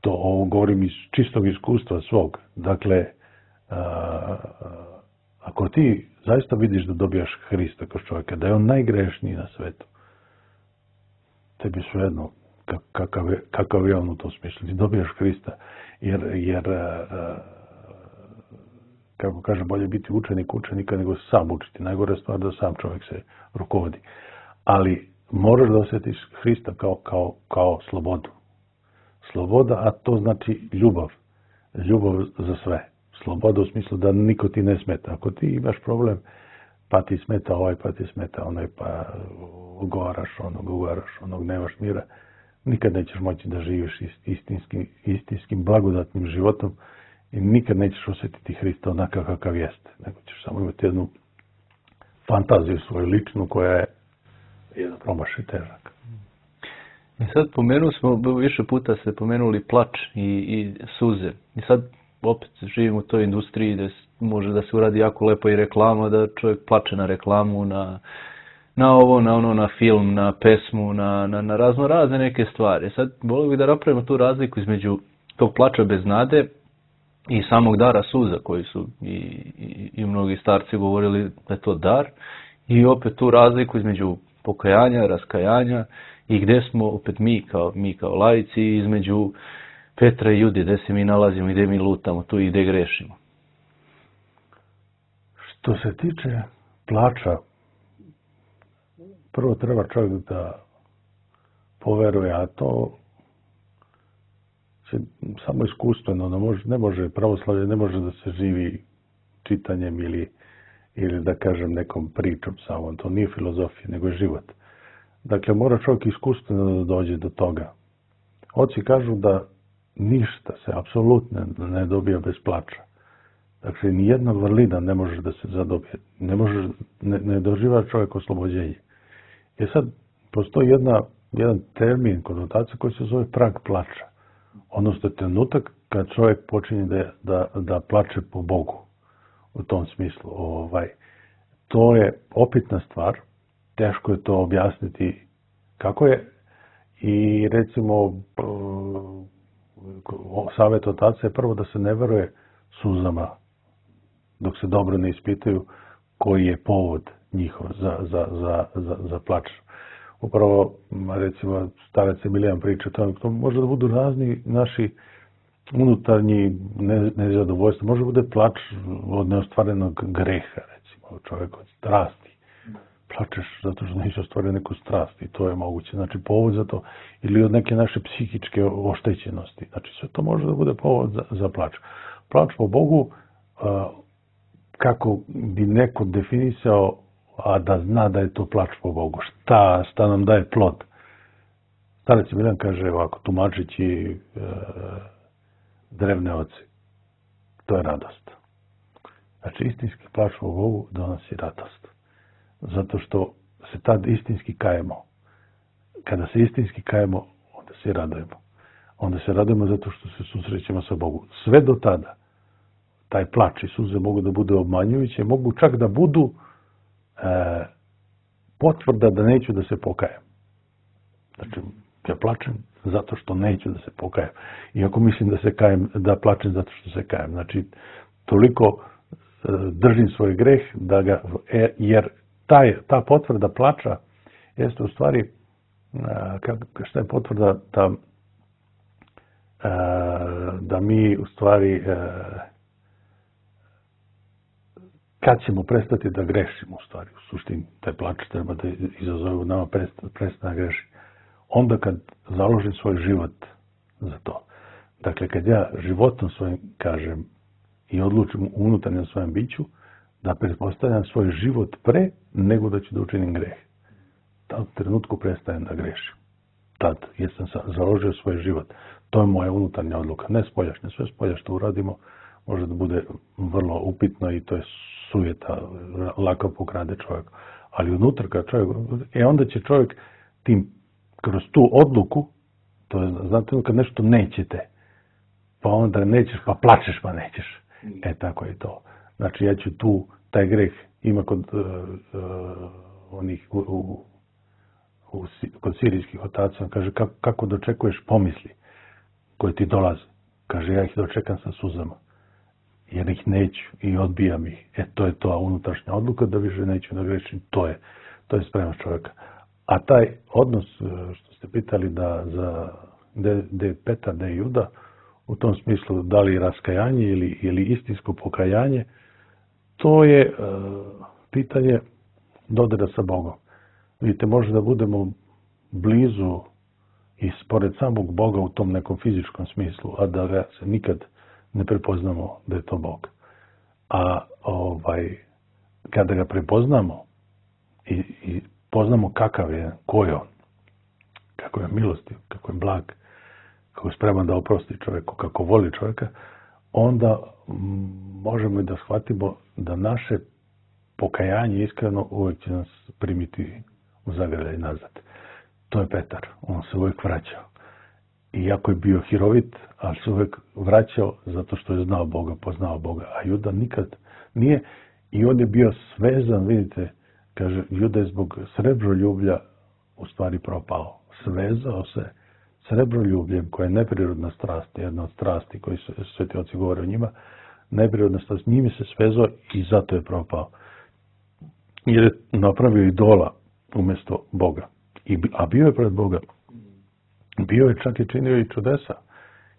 To ovo govorim iz čistog iskustva svog. Dakle, a, ako ti zaista vidiš da dobijaš Hrista kao čovjeka, da je on najgrešniji na svetu, tebi svejedno kakav je, kakav je on u tom smislu. Ti dobijaš Hrista, jer, jer a, kako kaže, bolje biti učenik učenika nego sam učiti. Najgore stvar da sam čovjek se rukovodi. Ali moraš da osjetiš Hrista kao, kao, kao slobodu. sloboda, a to znači ljubav. Ljubav za sve. Sloboda u smislu da niko ti ne smeta. Ako ti imaš problem, pa ti smeta ovaj, pa ti smeta onaj, pa ugovaraš onog, ugovaraš onog, nemaš mira, nikad nećeš moći da živiš istinskim, istinskim blagodatnim životom i nikad nećeš osjetiti Hrista onakav kakav jeste. Nego ćeš samo imati jednu fantaziju svoju ličnu koja je jedan promašaj težak. I sad pomenuli smo, više puta ste pomenuli plač i, i suze. I sad opet živimo u toj industriji da može da se uradi jako lepo i reklama, da čovjek plače na reklamu, na, na ovo, na ono, na film, na pesmu, na, na, na razno razne neke stvari. Sad volio bih da napravimo tu razliku između tog plača bez nade i samog dara suza koji su i, i, i mnogi starci govorili da je to dar. I opet tu razliku između pokajanja, raskajanja i gdje smo opet mi kao, mi kao laici između Petra i Jude, gdje se mi nalazimo i gdje mi lutamo tu i gdje grešimo. Što se tiče plača, prvo treba čovjek da poveruje, a to će samo iskustveno, ne može, ne može pravoslavlje, ne može da se živi čitanjem ili, ili da kažem nekom pričom samo, to nije filozofija, nego je život. Dakle, mora čovjek iskustveno da dođe do toga. Oci kažu da ništa se apsolutno ne dobija bez plača. Dakle, nijedna vrlina ne može da se zadobije. Ne, može, ne, ne doživa čovjek oslobođenje. I sad, postoji jedna, jedan termin, konotacija koji se zove prag plača. Odnosno, trenutak kad čovjek počinje da, da, da plače po Bogu. U tom smislu. Ovaj, to je opitna stvar. Teško je to objasniti kako je. I recimo, savjet otaca je prvo da se ne veruje suzama dok se dobro ne ispitaju koji je povod njihov za, za, za, za, za plač. Upravo, recimo, starac Emilijan priča, to, to može da budu razni naši unutarnji nezadovoljstva. Može da bude plač od neostvarenog greha, recimo, čovjek od strasti. Plačeš zato što nisi ostvario neku strast i to je moguće. Znači, povod za to. Ili od neke naše psihičke oštećenosti. Znači, sve to može da bude povod za, za plač. Plač po Bogu, a, kako bi neko definisao, a da zna da je to plač po Bogu. Šta, šta nam daje plod? Starac Emilijan kaže ovako, tumačeći e, drevne oci. To je radost. Znači, istinski plač po Bogu donosi radost. Zato što se tad istinski kajemo. Kada se istinski kajemo, onda se radujemo. Onda se radujemo zato što se susrećemo sa Bogom. Sve do tada, taj plač i suze mogu da bude obmanjujuće, mogu čak da budu e, potvrda da neću da se pokajem. Znači, ja plačem zato što neću da se pokajem. Iako mislim da se kajem, da plačem zato što se kajem. Znači, toliko e, držim svoj greh da ga, e, jer taj, ta potvrda plača jeste u stvari, e, šta je potvrda da, e, da mi u stvari e, kad ćemo prestati da grešimo u stvari, u suštini taj plač treba da izazove u nama prestane da greši. Onda kad založim svoj život za to. Dakle, kad ja životom svojim kažem i odlučim u unutarnjem svojem biću da pretpostavljam svoj život pre nego da ću da učinim greh. Tad u trenutku prestajem da grešim. Tad, jer sam založio svoj život. To je moja unutarnja odluka. Ne spoljašnja. Sve spolja što uradimo može da bude vrlo upitno i to je sujeta, lako pokrade čovjek. Ali unutra kad čovjek, e onda će čovjek tim, kroz tu odluku, to je, znate, kad nešto nećete, pa onda nećeš, pa plačeš, pa nećeš. E, tako je to. Znači, ja ću tu, taj greh ima kod uh, uh, onih, u, u, u, kod sirijskih otaca, kaže, kako, kako dočekuješ pomisli koje ti dolaze. Kaže, ja ih dočekam sa suzama. Jer ih neću i odbijam ih. E, to je to, unutrašnja odluka da više neću da grešim. To je, to je spremnost čovjeka. A taj odnos, što ste pitali da za da je Petar, da je Juda, u tom smislu da li raskajanje ili, ili istinsko pokajanje, to je uh, pitanje dodira sa Bogom. Vidite, može da budemo blizu i spored samog Boga u tom nekom fizičkom smislu, a da ga se nikad ne prepoznamo da je to Bog. A ovaj, kada ga prepoznamo i, i poznamo kakav je, ko je on, kako je milostiv, kako je blag, kako je spreman da oprosti čovjeku, kako voli čovjeka, onda možemo i da shvatimo da naše pokajanje iskreno uvijek će nas primiti u zagrljaj nazad. To je Petar, on se uvijek vraćao. Iako je bio hirovit, ali se uvijek vraćao zato što je znao Boga, poznao Boga. A Juda nikad nije. I on je bio svezan, vidite, kaže, Juda je zbog srebroljublja u stvari propao. Svezao se srebroljubljem, koja je neprirodna strast, jedna od strasti koji su sveti oci govore o njima, neprirodna strast, njime se svezao i zato je propao. Jer je napravio idola umjesto Boga. I, a bio je pred Boga. Bio je čak i činio i čudesa.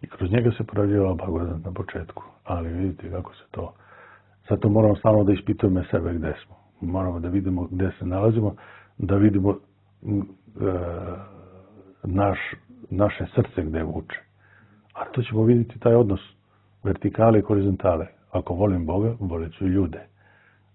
I kroz njega se projavljivala blagodat na početku. Ali vidite kako se to... Zato moramo stalno da ispitujemo sebe gdje smo. Moramo da vidimo gdje se nalazimo, da vidimo e, naš, naše srce gdje vuče. A to ćemo vidjeti taj odnos vertikale i horizontale. Ako volim Boga, volit ću ljude.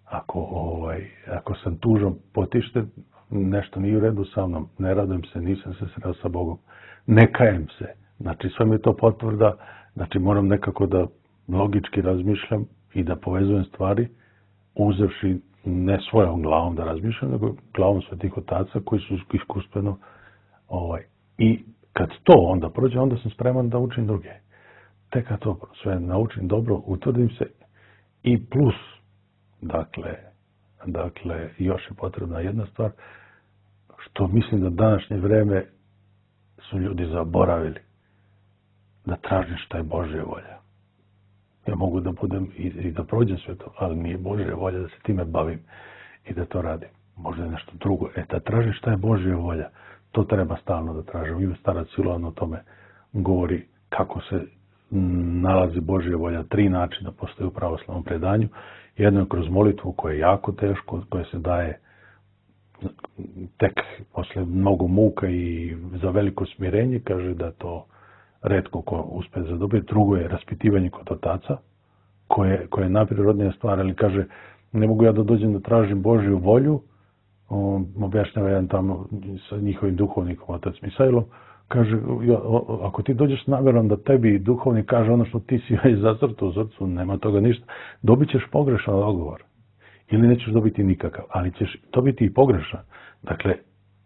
Ako, ovaj, ako sam tužan, potišten, nešto nije u redu sa mnom, ne radujem se, nisam se sreo sa Bogom, ne kajem se. Znači, sve mi je to potvrda, znači moram nekako da logički razmišljam i da povezujem stvari, uzevši ne svojom glavom da razmišljam, nego glavom svetih otaca koji su iskustveno. Ovaj. I kad to onda prođe, onda sam spreman da učim druge. Tek kad to sve naučim dobro, utvrdim se i plus, dakle, dakle, još je potrebna jedna stvar, što mislim da današnje vreme su ljudi zaboravili da tražim šta je Božja volja. Ja mogu da budem i, i da prođem sve to, ali nije Božja volja da se time bavim i da to radim. Možda je nešto drugo. E, da tražim šta je Božja volja, to treba stalno da tražim. Ime starac Silovan o tome govori kako se nalazi Božja volja. Tri načina postoje u pravoslavnom predanju. Jedno je kroz molitvu koja je jako teško, koja se daje tek posle mnogo muka i za veliko smirenje, kaže da to retko ko uspe zadobiti. Drugo je raspitivanje kod otaca, koje, koje je najprirodnija stvar, ali kaže, ne mogu ja da dođem da tražim Božju volju, on objašnjava jedan tamo sa njihovim duhovnikom, otac Misailom, kaže, ja, ako ti dođeš s namjerom da tebi duhovnik kaže ono što ti si već zacrtao u srcu, nema toga ništa, dobit ćeš pogrešan odgovor. Ili nećeš dobiti nikakav, ali ćeš dobiti i pogrešan. Dakle,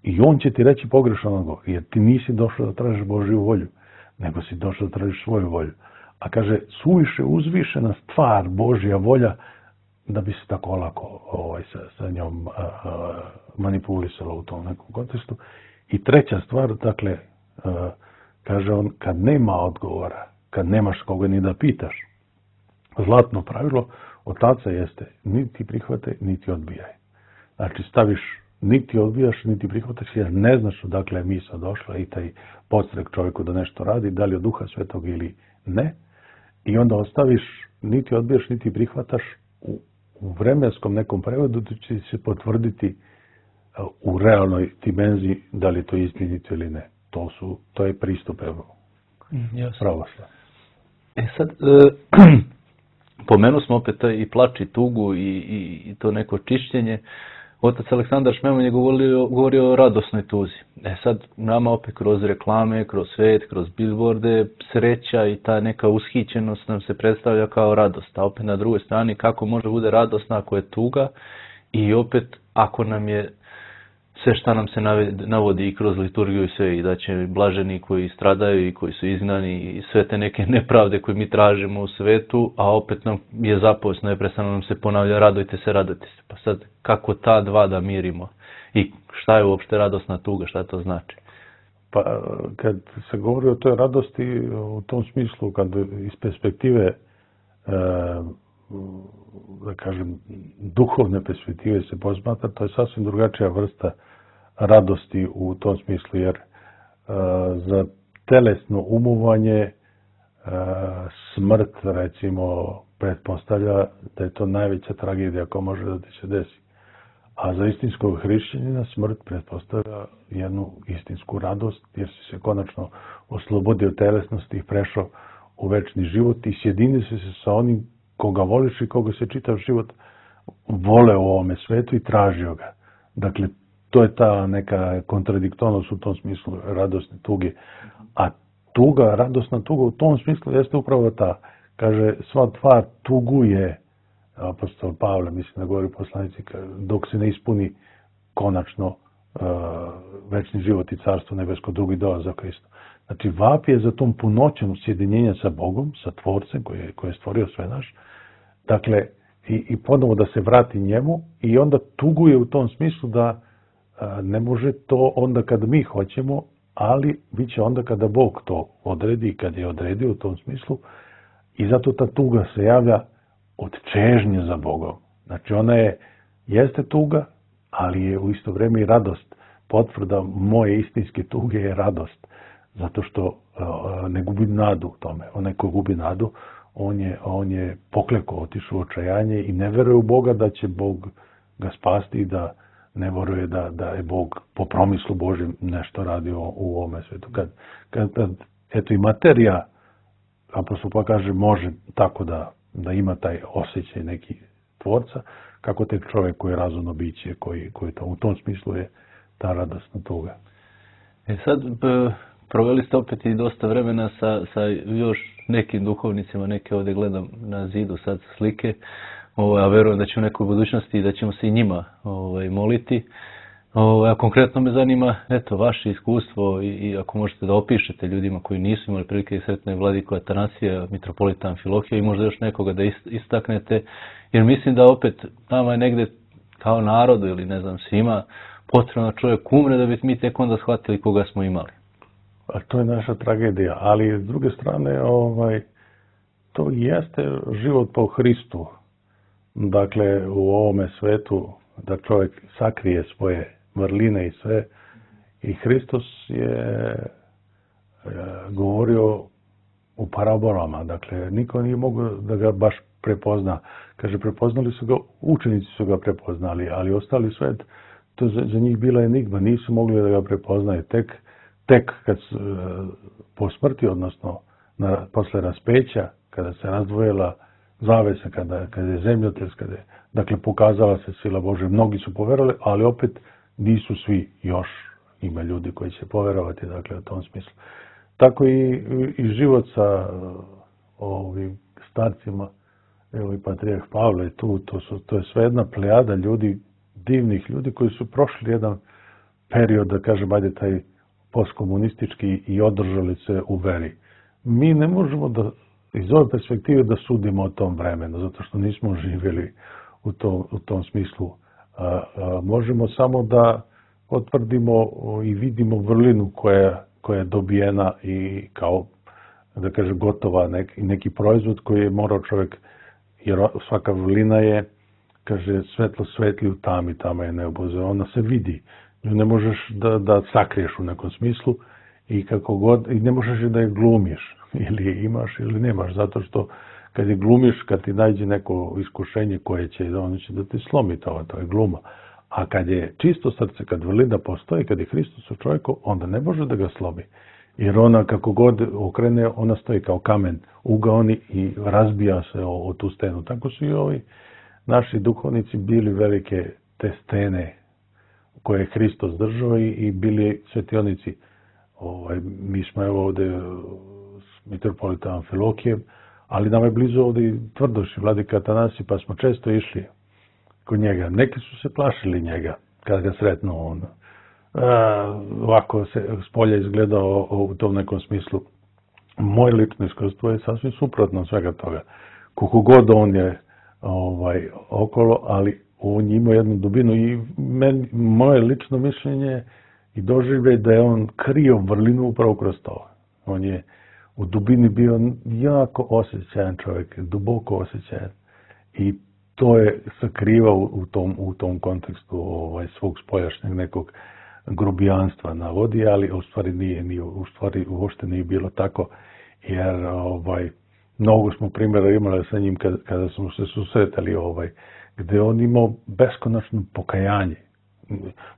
i on će ti reći pogrešan odgovor, jer ti nisi došao da tražiš Božju volju, nego si došao da tražiš svoju volju. A kaže, suviše uzvišena stvar, Božja volja, da bi se tako lako ovaj, sa, sa njom a, a, manipulisalo u tom nekom kontekstu. I treća stvar, dakle, a, kaže on, kad nema odgovora, kad nemaš koga ni da pitaš, zlatno pravilo otaca jeste, niti prihvate, niti odbijaj. Znači, staviš, niti odbijaš, niti prihvataš, jer ne znaš odakle je misao došla i taj podstrek čovjeku da nešto radi, da li od Duha Svetog ili ne. I onda ostaviš, niti odbijaš, niti prihvataš, u, u vremenskom nekom prevodu će se potvrditi u realnoj dimenziji da li je to istinito ili ne. To su, to je pristup evo, yes. Pravoslavlja. E sad, e, pomenu smo opet i plač i tugu i, i, i to neko čišćenje. Otac Aleksandar Šmeman je govorio, govorio o radosnoj tuzi. E sad, nama opet kroz reklame, kroz svet, kroz billboarde, sreća i ta neka ushićenost nam se predstavlja kao radost. A opet na drugoj strani, kako može bude radosna ako je tuga i opet ako nam je sve šta nam se navodi i kroz liturgiju i sve, i da će blaženi koji stradaju i koji su izgnani i sve te neke nepravde koje mi tražimo u svetu, a opet nam je zapovest, neprestano nam se ponavlja, radujte se, radujte se. Pa sad, kako ta dva da mirimo? I šta je uopšte radosna tuga, šta to znači? Pa, kad se govori o toj radosti, u tom smislu, kad iz perspektive, e, da kažem, duhovne perspektive se posmatra, to je sasvim drugačija vrsta radosti u tom smislu, jer e, za telesno umovanje e, smrt, recimo, pretpostavlja da je to najveća tragedija koja može da ti se desi. A za istinskog hrišćanina smrt pretpostavlja jednu istinsku radost, jer si se konačno oslobodio telesnosti i prešao u večni život i sjedinio si se sa onim koga voliš i koga se čitav život vole u ovome svetu i tražio ga. Dakle, to je ta neka kontradiktornost u tom smislu radosne tuge. A tuga, radosna tuga u tom smislu jeste upravo ta. Kaže, sva tvar tuguje, apostol Pavle, mislim da govori poslanici, dok se ne ispuni konačno uh, večni život i carstvo nebesko, drugi dolazak Krista. Znači, vapi je za tom punoćom sjedinjenja sa Bogom, sa Tvorcem koji je, koji je stvorio sve naš. Dakle, i, i ponovo da se vrati njemu i onda tuguje u tom smislu da uh, ne može to onda kad mi hoćemo, ali bit će onda kada Bog to odredi i kad je odredio u tom smislu. I zato ta tuga se javlja od čežnje za Bogom. Znači ona je, jeste tuga, ali je u isto vrijeme i radost. Potvrda moje istinske tuge je radost. Zato što uh, ne gubi nadu u tome. Onaj ko gubi nadu, on je, on je poklekao, otišao u očajanje i ne veruje u Boga da će Bog ga spasti i da ne veruje da, da je Bog po promislu Božjem nešto radio u ovome svetu. Kad, kad, kad eto i materija, apostol pa kaže, može tako da da ima taj osjećaj neki Tvorca, kako tek čovjek koji je razumno biće, koji, koji to, u tom smislu je ta radosna tuga. E sad, b, proveli ste opet i dosta vremena sa, sa još nekim duhovnicima, neke ovdje gledam na zidu sad slike, ovaj, a verujem da će u nekoj budućnosti i da ćemo se i njima ovaj, moliti. Ovaj, a konkretno me zanima, eto, vaše iskustvo i, i ako možete da opišete ljudima koji nisu imali prilike i sretne vladiku Atanasija, mitropolita Amfilohija i možda još nekoga da istaknete, jer mislim da opet nama je negde kao narodu ili ne znam svima potrebno čovjek umre da bi mi tek onda shvatili koga smo imali. A to je naša tragedija, ali s druge strane ovaj, to jeste život po Hristu. Dakle, u ovome svetu da čovjek sakrije svoje vrline i sve. I Hristos je e, govorio u parabolama. Dakle, niko nije mogao da ga baš prepozna. Kaže, prepoznali su ga, učenici su ga prepoznali, ali ostali svet, to za, za njih bila enigma. Nisu mogli da ga prepoznaju. Tek, tek kad su, e, po smrti, odnosno na, posle raspeća, kada se razdvojila zavesa, kada, kada je zemljotres, kada je, dakle, pokazala se sila Božja. Mnogi su poverovali, ali opet nisu svi, još ima ljudi koji će poverovati, dakle, u tom smislu. Tako i, i život sa ovim starcima, evo i patrijarh Pavle je tu, to, su, to je sve jedna plejada ljudi, divnih ljudi koji su prošli jedan period, da kažem, ajde taj postkomunistički i održali se u veri. Mi ne možemo da iz ove perspektive da sudimo o tom vremenu, zato što nismo živjeli u, to, u tom smislu. A, a, možemo samo da potvrdimo i vidimo vrlinu koja, koja je dobijena i kao, da kažem, gotova neki, neki proizvod koji je morao čovjek, jer svaka vrlina je, kaže, svetlo svetli u tami, tama je nebo, ona se vidi. Nju ne možeš da, da sakriješ u nekom smislu i kako god, i ne možeš da je glumiš, ili imaš ili nemaš, zato što kad je glumiš, kad ti nađe neko iskušenje koje će, ono će da ti slomi to, to je gluma. A kad je čisto srce, kad vrlina postoji, kad je Hristos u čovjeku, onda ne može da ga slomi. Jer ona, kako god okrene, ona stoji kao kamen ugaoni i razbija se o, o tu stenu. Tako su i ovi naši duhovnici bili velike te stene koje je Hristos držao i, i bili svetionici. Ovaj, mi smo evo ovdje s mitropolitom Amfilohijem, ali nam je blizu ovdje i Tvrdoš i vladika Atanasij, pa smo često išli kod njega. Neki su se plašili njega kad ga sretnu on. A, ovako se s polja izgledao u tom nekom smislu. Moje lično iskustvo je sasvim suprotno svega toga. Koliko god on je ovaj, okolo, ali on ima jednu dubinu i men, moje lično mišljenje i doživljaj da je on krio vrlinu upravo kroz to. On je u dubini bio jako osjećajan čovjek, duboko osjećajan. I to je sakrivao u tom, u tom kontekstu ovaj, svog spoljašnjeg nekog grubijanstva na vodi, ali u stvari nije, nije, u stvari uopšte nije bilo tako, jer ovaj, mnogo smo primjera imali sa njim kada, kada smo se susretali, ovaj, gdje on imao beskonačno pokajanje.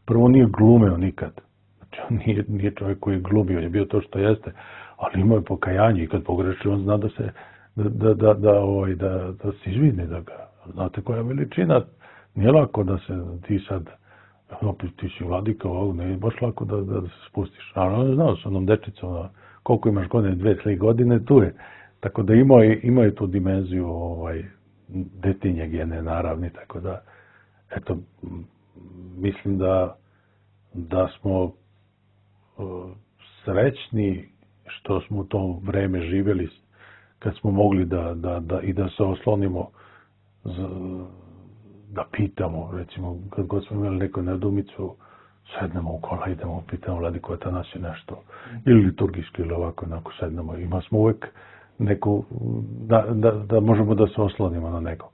Prvo nije glumio nikad. Znači, on nije, nije čovjek koji je glumio, on je bio to što jeste, ali imao je pokajanje i kad pogreši, on zna da se da, da, da, da, ovaj, da, da se izvini, da ga, znate koja veličina, nije lako da se ti sad, opet ti si vladika ovog, ne je baš lako da, da, da se spustiš. Ali on je znao s onom dečicom, koliko imaš godine, dve, tri godine, tu je. Tako da imao je, imao je tu dimenziju ovaj, detinje gene naravni, tako da, eto, mislim da, da smo uh, srećni što smo u to vreme živjeli, kad smo mogli da, da, da, i da se oslonimo, z, da pitamo, recimo, kad god smo imali neku nedumicu, sednemo u kola, idemo, pitamo Vladiku Atanasiju nešto, ili liturgijski, ili ovako, onako sednemo, ima smo uvek neku, da, da, da možemo da se oslonimo na nego.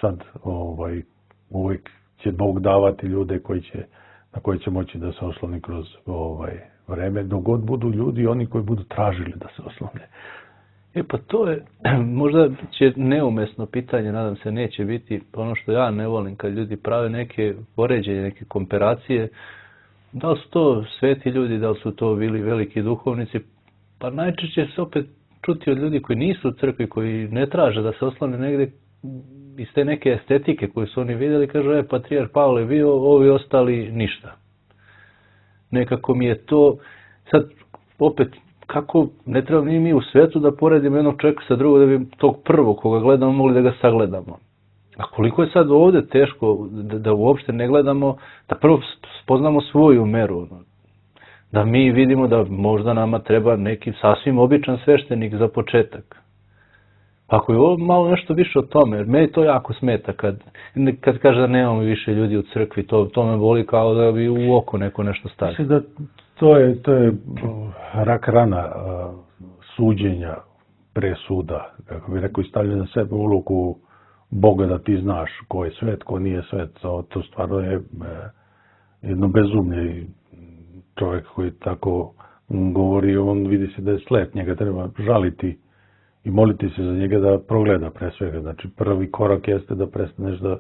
Sad, ovaj, uvek će Bog davati ljude koji će, na koji će moći da se osloni kroz ovaj, vreme, dok god budu ljudi, oni koji budu tražili da se oslone. E pa to je, možda će neumesno pitanje, nadam se neće biti, ono što ja ne volim kad ljudi prave neke poređenje, neke komparacije, da li su to sveti ljudi, da li su to bili veliki duhovnici, pa najčešće se opet čuti od ljudi koji nisu u crkvi, koji ne traže da se oslone negdje iz te neke estetike koje su oni vidjeli, kažu, e, patrijarh Pavle je bio, ovi ostali ništa. Nekako mi je to, sad opet, kako ne treba ni mi u svetu da poredimo jednog čovjeka sa drugog da bi tog prvog koga gledamo mogli da ga sagledamo. A koliko je sad ovdje teško da, da uopšte ne gledamo, da prvo spoznamo svoju meru. Da mi vidimo da možda nama treba neki sasvim običan sveštenik za početak. Ako je ovo malo nešto više o tome, jer meni to jako smeta kad, kad kaže da nemamo više ljudi u crkvi, to, to me boli kao da bi u oko neko nešto stavio. Mislim da to je, to je rak rana uh, suđenja presuda, kako bi rekao, stavljaju na sebe ulogu Boga da ti znaš ko je svet, ko nije svet. To stvarno je uh, jedno bezumlje. Čovjek koji tako govori, on vidi se da je slep, njega treba žaliti i moliti se za njega da progleda pre svega. Znači, prvi korak jeste da prestaneš da,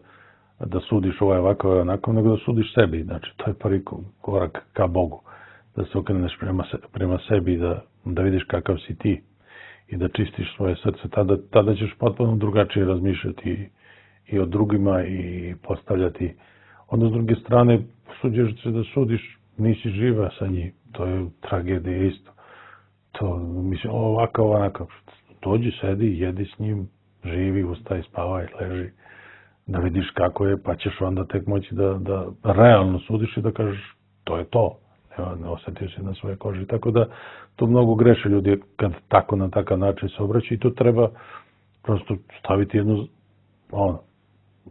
da sudiš ovaj ovako, ovaj onako, nego da sudiš sebi. Znači, to je prvi korak ka Bogu. Da se okreneš prema, se, prema sebi i da, da vidiš kakav si ti i da čistiš svoje srce. Tada, tada ćeš potpuno drugačije razmišljati i, i o drugima i postavljati. Onda, s druge strane, suđeš se da sudiš, nisi živa sa njim. To je tragedija isto. To, mislim, ovako, onako. Dođi, sedi, jedi s njim, živi, ustaj, spavaj, leži, da vidiš kako je, pa ćeš onda tek moći da, da realno sudiš i da kažeš to je to. Ne, ne osjetiš se na svoje koži. Tako da to mnogo greše ljudi kad tako na takav način se obraća i to treba prosto staviti jednu ono,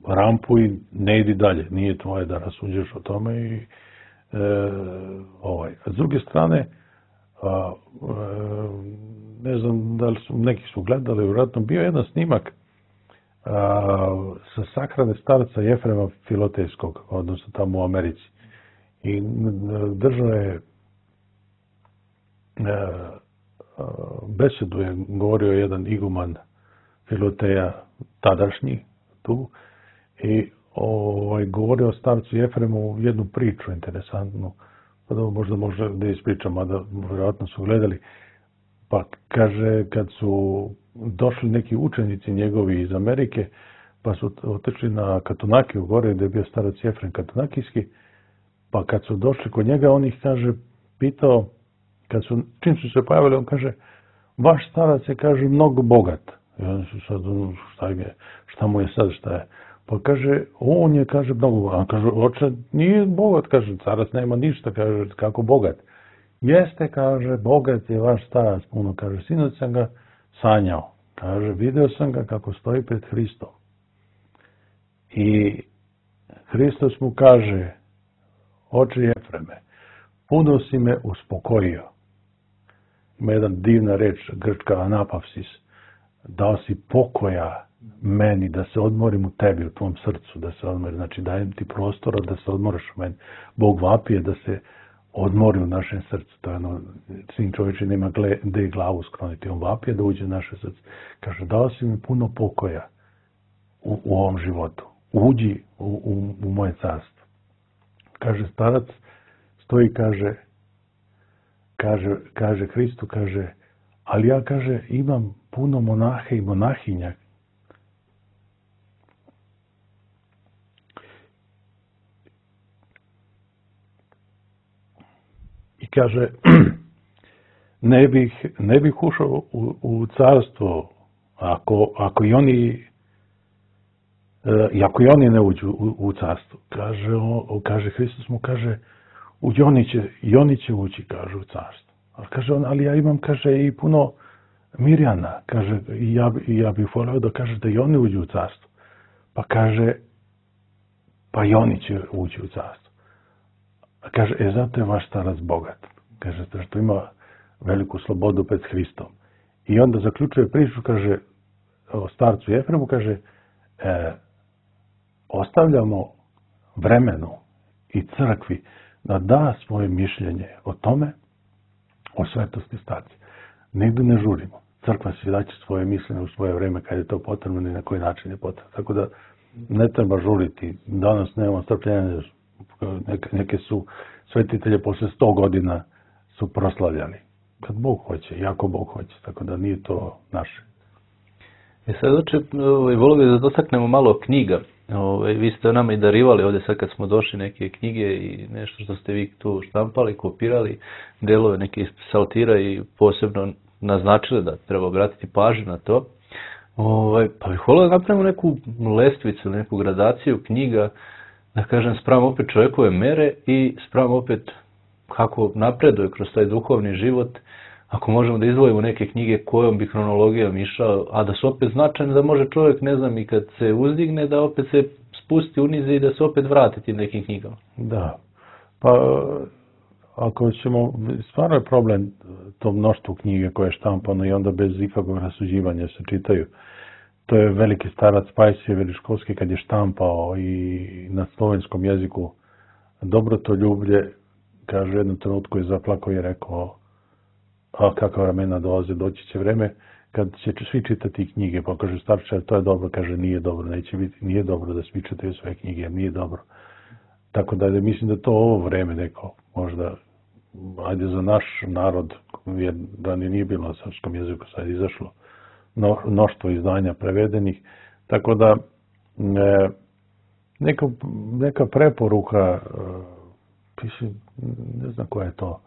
rampu i ne idi dalje. Nije tvoje da rasuđeš o tome i e, ovaj. A s druge strane, a, a, ne znam da li su, neki su gledali, vjerojatno bio jedan snimak a, sa sahrane starca Jefrema Filotejskog, odnosno tamo u Americi. I držao je a, a, besedu je govorio jedan iguman Filoteja, tadašnji, tu, i ovaj, govorio o starcu Jefremu jednu priču interesantnu, pa da možda možda da ispričam, a da vjerojatno su gledali. Pa kaže, kad su došli neki učenici njegovi iz Amerike, pa su otišli na Katunakiju gore, gdje je bio starac Jefrem Katunakijski, pa kad su došli kod njega, on ih, kaže, pitao, kad su, čim su se pojavili, on kaže, vaš starac je, kaže, mnogo bogat. I oni su sad, šta, je, šta mu je sad, šta je? Pa kaže, on je, kaže, mnogo bogat. On kaže, oče, nije bogat, kaže, starac nema ništa, kaže, kako bogat. Jeste, kaže, bogat je vaš starac puno, kaže, sinoć sam ga sanjao. Kaže, video sam ga kako stoji pred Hristom. I Hristos mu kaže, oče Jefreme, puno si me uspokojio. Ima jedan divna reč, grčka anapavsis, dao si pokoja meni, da se odmorim u tebi, u tvom srcu, da se odmorim. Znači, dajem ti prostora da se odmoriš u meni. Bog vapije da se odmori u našem srcu. To je ono, sin čovječi nema gde glavu skloniti. On vapije da uđe u naše srce. Kaže, dao si mi puno pokoja u, u ovom životu. uđi u, u, u moje carstvo. Kaže starac, stoji, kaže, kaže, kaže Hristu, kaže, ali ja, kaže, imam puno monahe i monahinja. I kaže, ne bih, ne bih ušao u, u carstvo ako, ako i oni i ako i oni ne uđu u, u carstvo. Kaže, o, kaže Hristos mu, kaže, i oni će, i oni će ući, kaže, u carstvo. Ali kaže on, ali ja imam, kaže, i puno Mirjana, kaže, i ja, i ja bih volio da kaže da i oni uđu u carstvo. Pa kaže, pa i oni će ući u carstvo. A kaže, e, zato je vaš starac bogat. Kaže, što ima veliku slobodu pred Hristom. I onda zaključuje priču, kaže, o starcu Jefremu, kaže, e, ostavljamo vremenu i crkvi da da svoje mišljenje o tome, o svetosti starca. Nigde ne žurimo. Crkva se daće svoje mišljenje u svoje vreme kad je to potrebno i na koji način je potrebno. Tako da ne treba žuriti. Danas nemamo strpljenja. Neke, neke su svetitelje posle sto godina su proslavljali. Kad Bog hoće, jako Bog hoće. Tako da nije to naše. E sad oče, volio bih da dotaknemo malo knjiga. Ove, vi ste nama i darivali ovdje sad kad smo došli neke knjige i nešto što ste vi tu štampali, kopirali, delove neke iz psaltira i posebno naznačili da treba obratiti pažnju na to. Ove, pa bih volio da napravimo neku lestvicu, neku gradaciju knjiga, da kažem, spram opet čovjekove mere i spram opet kako napreduje kroz taj duhovni život. Ako možemo da izdvojimo neke knjige kojom bi hronologijom išao, a da su opet značajne, da može čovjek, ne znam, i kad se uzdigne, da opet se spusti unize i da se opet vrati tim nekim knjigama. Da. Pa, ako ćemo, stvarno je problem to mnoštvo knjige koje je štampano i onda bez ikakvog rasuđivanja se čitaju. To je veliki starac Pajsije Veliškovski kad je štampao i na slovenskom jeziku Dobrotoljublje, kaže, u jednom trenutku je zaplakao i rekao, a kakva vremena dolaze, doći će vreme kad će svi čitati knjige, pa kaže starče, to je dobro, kaže nije dobro, neće biti, nije dobro da svi čitaju sve knjige, nije dobro. Tako da mislim da to ovo vreme neko, možda, ajde za naš narod, jer da nije bilo na srpskom jeziku, sad je izašlo mnoštvo izdanja prevedenih, tako da e, neka, neka preporuka, e, ne znam koja je to,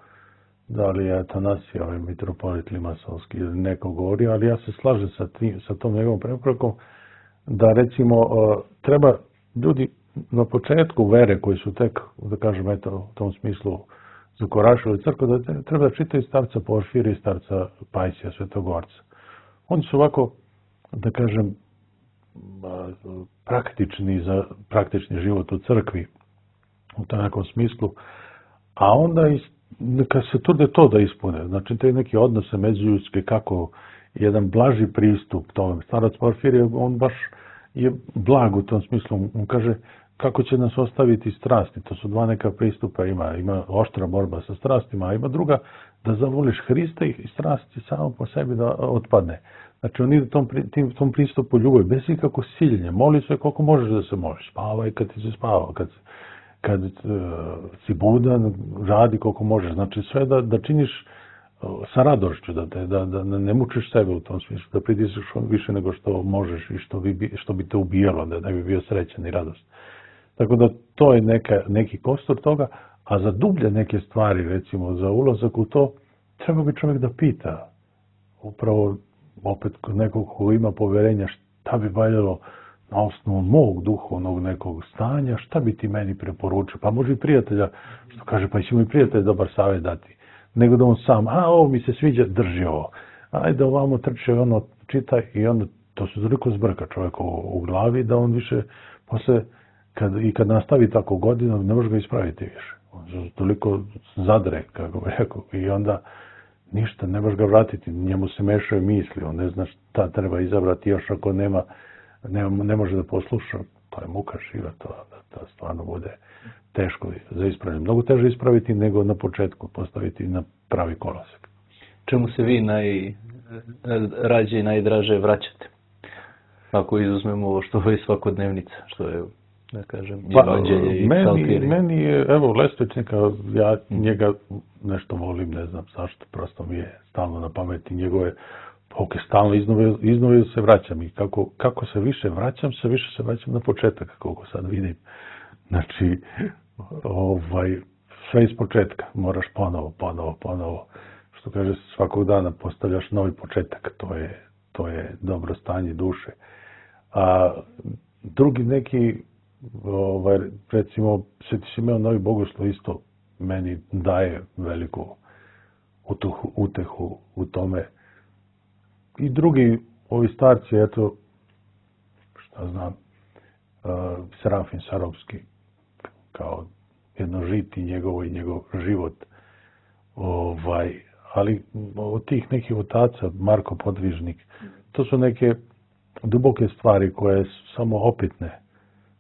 da li je Atanasije, ovaj mitropolit Limasovski ili neko govori, ali ja se slažem sa, tim, sa tom njegovom preporukom da recimo treba ljudi na početku vere koji su tek, da kažem, eto, u tom smislu zakorašili crkvu, da treba da čitaju starca Porfirija i starca Pajsija, Svetogorca. Oni su ovako, da kažem, praktični za praktični život u crkvi, u tom nekom smislu, a onda i neka se trude to da ispune. Znači, te neki odnose međuljudske, kako jedan blaži pristup tome. Starac Porfirije, on baš je blag u tom smislu. On kaže, kako će nas ostaviti strasti. To su dva neka pristupa. Ima, ima oštra borba sa strastima, a ima druga, da zavoliš Hrista i strast će samo po sebi da otpadne. Znači, on ide tom, tim, tom pristupu ljubavi, bez ikako siljenja. Moli se koliko možeš da se moliš. Spavaj kad ti se spava, kad se kad uh, si budan, radi koliko možeš. Znači sve da, da činiš uh, sa radošću, da, te, da, da ne mučiš sebe u tom smislu, da pritisneš više nego što možeš i što bi, što bi te ubijalo, da ne bi bio srećan i radost. Tako da to je neka, neki kostur toga, a za dublje neke stvari, recimo za ulazak u to, treba bi čovjek da pita. Upravo opet kod nekog ko ima poverenja šta bi valjalo na osnovu mog duhovnog nekog stanja, šta bi ti meni preporučio? Pa može i prijatelja, što kaže, pa će mu i prijatelj dobar savjet dati. Nego da on sam, a ovo mi se sviđa, drži ovo. Ajde ovamo trče, ono čitaj i onda to se toliko zbrka čovjek u, u glavi da on više posle, kad, i kad nastavi tako godinu, ne može ga ispraviti više. On se toliko zadre, kako bi rekao, i onda ništa, ne može ga vratiti, njemu se mešaju misli, on ne zna šta treba izabrati još ako nema Ne, ne može da posluša, to je muka živa, to da, da stvarno bude teško za ispravljanje. Mnogo teže ispraviti nego na početku postaviti na pravi kolosek. Čemu se vi najrađe i najdraže vraćate? Ako izuzmemo ovo što je svakodnevnica, što je, da kažem, pa, evanđelje i meni, psaltiri. meni je, evo, Lestečnika, ja njega nešto volim, ne znam zašto, prosto mi je stalno na pameti njegove, ok, stalno iznova, iznova se vraćam i kako, kako se više vraćam, se više se vraćam na početak, koliko sad vidim. Znači, ovaj, sve iz početka, moraš ponovo, ponovo, ponovo. Što kaže, svakog dana postavljaš novi početak, to je, to je dobro stanje duše. A drugi neki, ovaj, recimo, Sveti Simeon Novi Bogoslov isto meni daje veliku utuhu, utehu u tome. I drugi, ovi starci, eto, šta znam, uh, Serafin Sarovski, kao jedno žiti njegovo i njegov život. Ovaj, ali od tih nekih otaca, Marko Podvižnik, to su neke duboke stvari koje su samo opitne.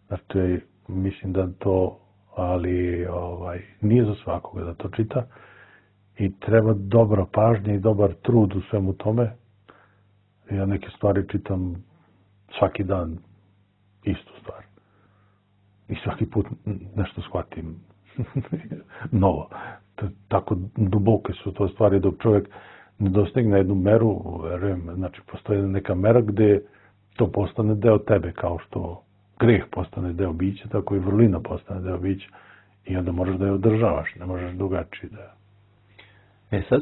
Znači, mislim da to, ali ovaj, nije za svakoga da to čita i treba dobra pažnja i dobar trud u svemu tome. Ja neke stvari čitam svaki dan, istu stvar. I svaki put nešto shvatim novo. Tako duboke su to stvari dok čovjek ne dostigne jednu meru, verujem, znači postoji neka mera gdje to postane deo tebe, kao što greh postane deo bića, tako i vrlina postane deo bića i onda možeš da je održavaš, ne možeš drugačije da... E sad,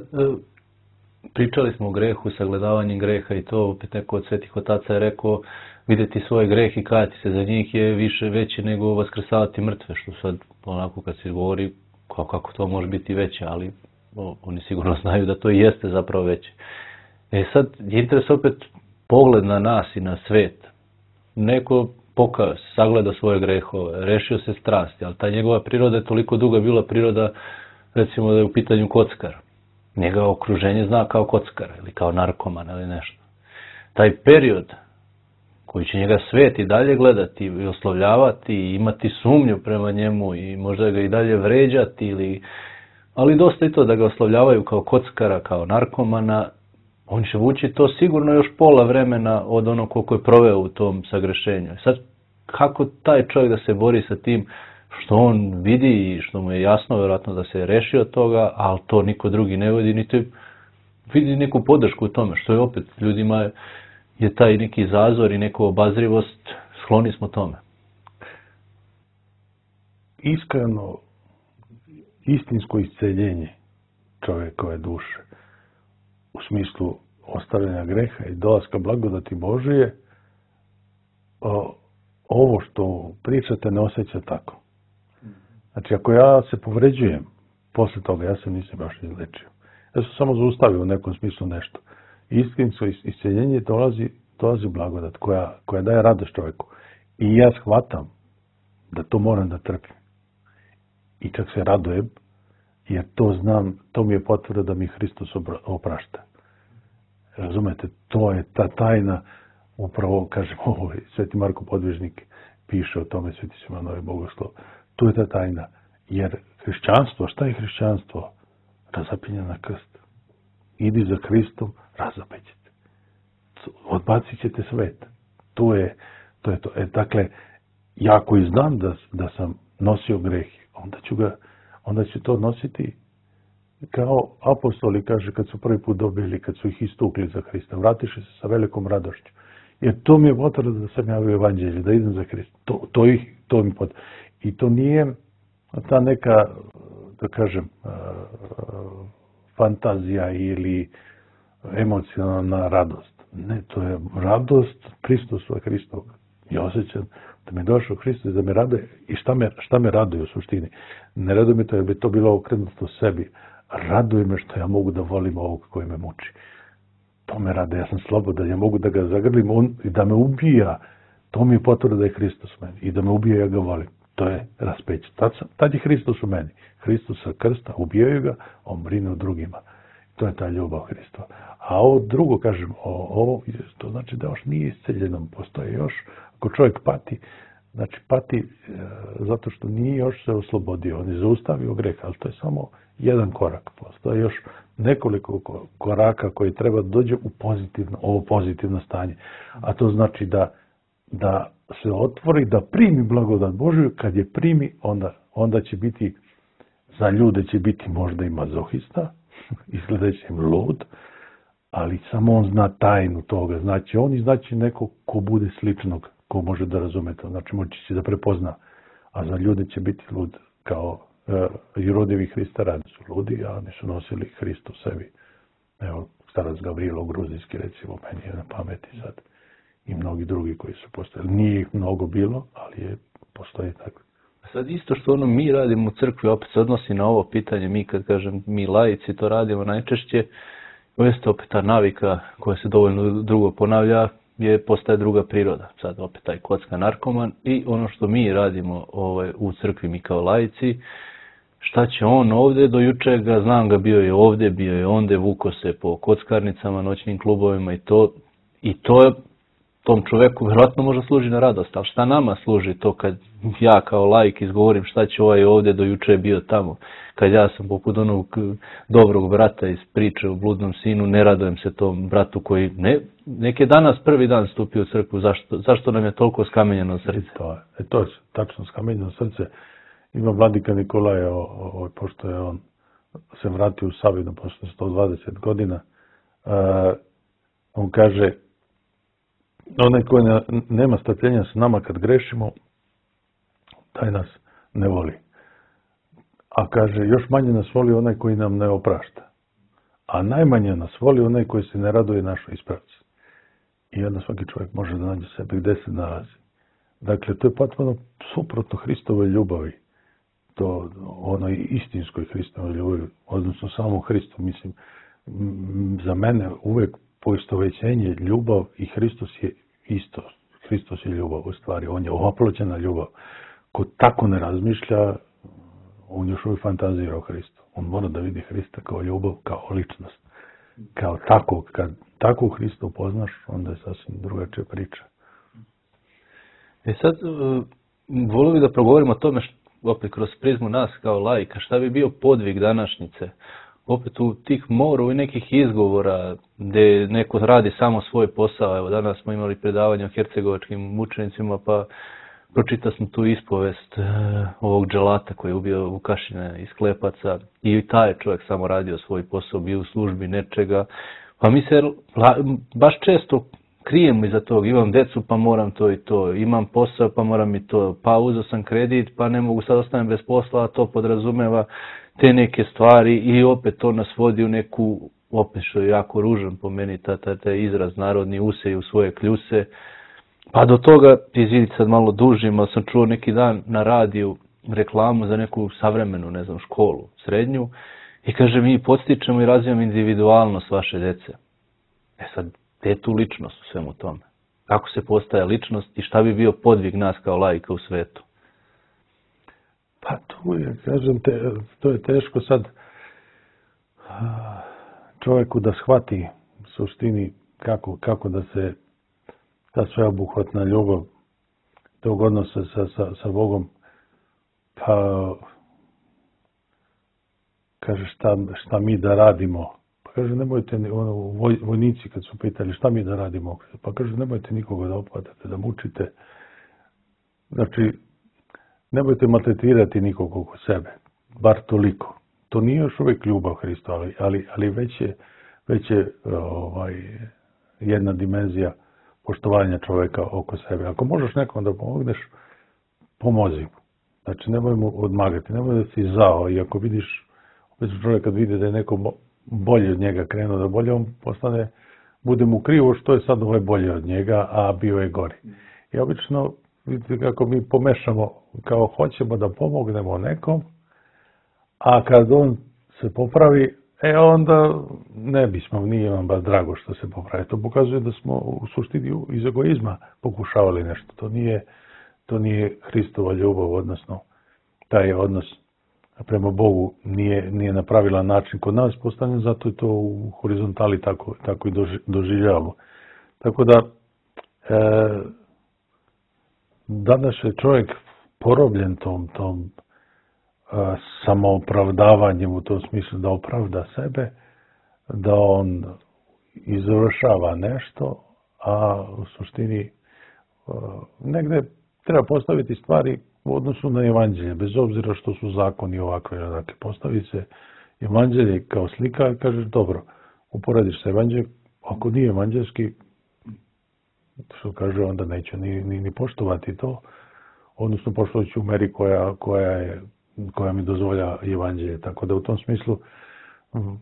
pričali smo o grehu, sagledavanjem greha i to, opet neko od svetih otaca je rekao, vidjeti svoj greh i kajati se za njih je više veće nego vaskrsavati mrtve, što sad onako kad se govori kao kako to može biti veće, ali o, oni sigurno znaju da to i jeste zapravo veće. E sad, je interes opet pogled na nas i na svet. Neko pokao se, sagledao svoje grehove, rešio se strasti, ali ta njegova priroda je toliko duga bila priroda, recimo da je u pitanju kockar. Njega okruženje zna kao kockar ili kao narkoman ili nešto. Taj period koji će njega svet i dalje gledati i oslovljavati i imati sumnju prema njemu i možda ga i dalje vređati, ili, ali dosta i to da ga oslovljavaju kao kockara, kao narkomana, on će vući to sigurno još pola vremena od onog koliko je proveo u tom sagrešenju. Sad, kako taj čovjek da se bori sa tim što on vidi i što mu je jasno, vjerojatno da se je rešio od toga, ali to niko drugi ne vidi, niti vidi neku podršku u tome, što je opet ljudima je taj neki zazor i neku obazrivost, skloni smo tome. Iskreno, istinsko isceljenje čovjekove duše, u smislu ostavljanja greha i dolaska blagodati Božije, ovo što pričate ne osjeća tako. Znači, ako ja se povređujem, posle toga ja se nisam baš izlečio. Ja sam samo zaustavio u nekom smislu nešto. Istinsko isceljenje dolazi, dolazi blagodat koja, koja daje radost čovjeku. I ja shvatam da to moram da trpim. I čak se radujem, jer to znam, to mi je potvrda da mi Hristos oprašta. Razumete, to je ta tajna, upravo, kažem, ovo, Sveti Marko Podvižnik piše o tome, Sveti Simeon Novi Bogoslov. To je ta tajna. Jer hrišćanstvo, šta je hrišćanstvo? Razapinje na krst. Idi za Hristom, razapećete. Odbacit ćete svet. To je to. Je to. E, dakle, ja ako i znam da, da sam nosio greh, onda ću, ga, onda ću to nositi kao apostoli, kaže, kad su prvi put dobili, kad su ih istukli za Hrista. Vratiše se sa velikom radošću. Jer to mi je potvrda da sam javio evanđelje, da idem za Hrista. To, to, ih, to mi potvrda. I to nije ta neka, da kažem, fantazija ili emocionalna radost. Ne, to je radost Hristosa Hristovog. Ja osjećam da mi je došao Hristos, da me raduje. I šta me, šta me raduje u suštini? Ne raduje me to, jer bi to bilo okrenuto sebi. Raduje me što ja mogu da volim ovog koji me muči. To me rade, ja sam slobodan, ja mogu da ga zagrlim on, i da me ubija. To mi je potvrda da je Hristos u meni. I da me ubija, ja ga volim. To je raspeće. Tad, tad je Hristos u meni. Hristos sa krsta, ubijaju ga, on brine o drugima. To je ta ljubav Hristova. A ovo drugo, kažem, ovo, to znači da još nije isceljeno. Postoje još, ako čovjek pati, znači pati e, zato što nije još se oslobodio. On je zaustavio greh, ali to je samo jedan korak. Postoje još nekoliko koraka koji treba da dođe u pozitivno, ovo pozitivno stanje. A to znači da, da se otvori, da primi blagodat Božju. Kad je primi, onda, onda će biti, za ljude će biti možda i mazohista, izgledaće im lud, ali samo on zna tajnu toga. Znači on i znači neko ko bude sličnog, ko može da razume to. Znači moći će da prepozna. A za ljude će biti lud kao e, i rodevi Hrista radi su ludi, a oni su nosili Hrist u sebi. Evo, starac Gavrilo Gruzijski, recimo, meni je na pameti sad. I mnogi drugi koji su postojali. Nije ih mnogo bilo, ali je postoji tako. Sad isto što ono mi radimo u crkvi, opet se odnosi na ovo pitanje, mi kad kažem mi laici to radimo najčešće, jeste opet ta navika koja se dovoljno drugo ponavlja, je postaje druga priroda. Sad opet taj kocka narkoman i ono što mi radimo ovaj, u crkvi mi kao laici, šta će on ovdje, do juče ga znam ga bio je ovdje, bio je ondje, vuko se po kockarnicama, noćnim klubovima i to, i to je tom čovjeku vjerojatno možda služi na radost, ali šta nama služi to kad ja kao laik izgovorim šta će ovaj ovdje, do juče je bio tamo. Kad ja sam poput onog dobrog brata iz priče o bludnom sinu, ne radujem se tom bratu koji ne, nek je danas prvi dan stupio u crkvu, zašto, zašto nam je toliko skamenjeno srce? To je, e, to je tačno skamenjeno srce. Ima vladika Nikolaja, o, o, pošto je on se vratio u Savinu posle sto dvadeset godina, uh, on kaže, onaj koji ne, nema strpljenja s nama kad grešimo, taj nas ne voli. A kaže, još manje nas voli onaj koji nam ne oprašta. A najmanje nas voli onaj koji se ne raduje našoj ispravci. I onda svaki čovjek može da nađe sebe gde se nalazi. Dakle, to je potpuno suprotno Hristovoj ljubavi. To onoj istinskoj Hristovoj ljubavi, odnosno samo Hristu. Mislim, za mene uvek poistovećenje, ljubav i Hristos je isto. Hristos je ljubav u stvari. On je oploćena ljubav. Ko tako ne razmišlja, on još uvijek fantazira o Hristu. On mora da vidi Hrista kao ljubav, kao ličnost. Kao tako, kad tako Hrista upoznaš, onda je sasvim drugačija priča. E sad, volio bih da progovorimo o tome, što, opet kroz prizmu nas kao laika, šta bi bio podvig današnjice? Opet u tih moru i nekih izgovora gdje neko radi samo svoj posao. Evo, danas smo imali predavanje o hercegovačkim mučenicima, pa pročitao sam tu ispovest uh, ovog dželata koji je ubio Vukašina iz Klepaca i taj čovjek samo radio svoj posao, bio u službi nečega. Pa mi se la, baš često krijemo iza tog, imam decu pa moram to i to, imam posao pa moram i to, pa uzeo sam kredit pa ne mogu, sad ostanem bez posla, a to podrazumeva te neke stvari i opet to nas vodi u neku, opet što je jako ružan po meni, ta, ta, ta izraz narodni usej u svoje kljuse. Pa do toga, izvidite sad malo dužim, ali sam čuo neki dan na radiju reklamu za neku savremenu, ne znam, školu, srednju, i kaže mi podstičemo i razvijamo individualnost vaše dece. E sad, gdje je tu ličnost u svemu tome? Kako se postaje ličnost i šta bi bio podvig nas kao laika u svetu? Pa tu je, kažem, te, to je teško sad čovjeku da shvati u suštini kako, kako da se ta sveobuhvatna ljubav tog odnosa sa, sa, sa Bogom, pa kaže šta, šta mi da radimo. Pa kaže nemojte, ono, voj, vojnici kad su pitali šta mi da radimo, pa kaže nemojte nikoga da opadate, da mučite. Znači, nemojte maltretirati nikog oko sebe, bar toliko. To nije još uvijek ljubav Hrista, ali, ali, ali već je, već je ovaj, jedna dimenzija poštovanja čovjeka oko sebe. Ako možeš nekom da pomogneš, pomozi mu. Znači, nemoj mu odmagati, nemoj da si zao. I ako vidiš, opet čovjek kad vidi da je neko bolje od njega krenuo da bolje, on postane, bude mu krivo što je sad ovaj bolje od njega, a bio je gori. I obično, vidite kako mi pomešamo, kao hoćemo da pomognemo nekom, a kad on se popravi, e onda ne bismo, nije vam baš drago što se popravi. To pokazuje da smo u suštini iz egoizma pokušavali nešto. To nije, to nije Hristova ljubav, odnosno taj odnos prema Bogu nije, nije na pravilan način kod nas postavljen, zato je to u horizontali tako, tako i doživljavamo. Tako da, e, danas je čovjek porobljen tom, tom a, samoopravdavanjem u tom smislu da opravda sebe, da on izvršava nešto, a u suštini negde treba postaviti stvari u odnosu na evanđelje, bez obzira što su zakoni ovakve. Dakle, postavi se evanđelje kao slika i kažeš, dobro, uporediš sa evanđeljem, ako nije evanđelski, što kaže, onda neću ni, ni, ni poštovati to, odnosno poštovat ću u meri koja, koja, je, koja mi dozvolja evanđelje. Tako da u tom smislu,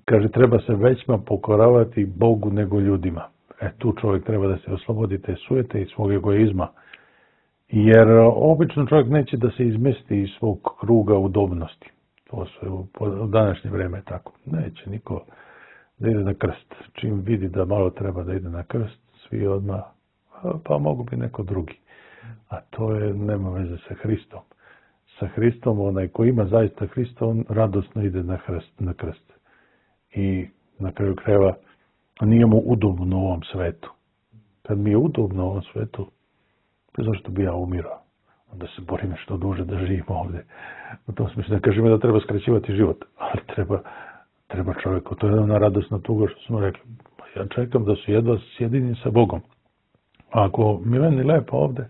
kaže, treba se većma pokoravati Bogu nego ljudima. E, tu čovjek treba da se oslobodi te sujete i svog egoizma. Jer obično čovjek neće da se izmesti iz svog kruga udobnosti. To se u, u današnje vreme tako. Neće niko da ide na krst. Čim vidi da malo treba da ide na krst, svi odmah, pa mogu bi neko drugi. A to je, nema veze sa Hristom. Sa Hristom, onaj ko ima zaista Hrista, on radosno ide na krst. Na krst. I na kraju krajeva nije mu udobno u ovom svetu. Kad mi je udobno u ovom svetu, zašto bi ja umirao? Onda se borim što duže da živim ovdje. U tom smislu ne kažemo da treba skraćivati život, ali treba, treba čovjeku. To je ona radosna tuga što smo rekli. Ja čekam da se jedva sjedini sa Bogom. A ako mi meni lepo ovdje,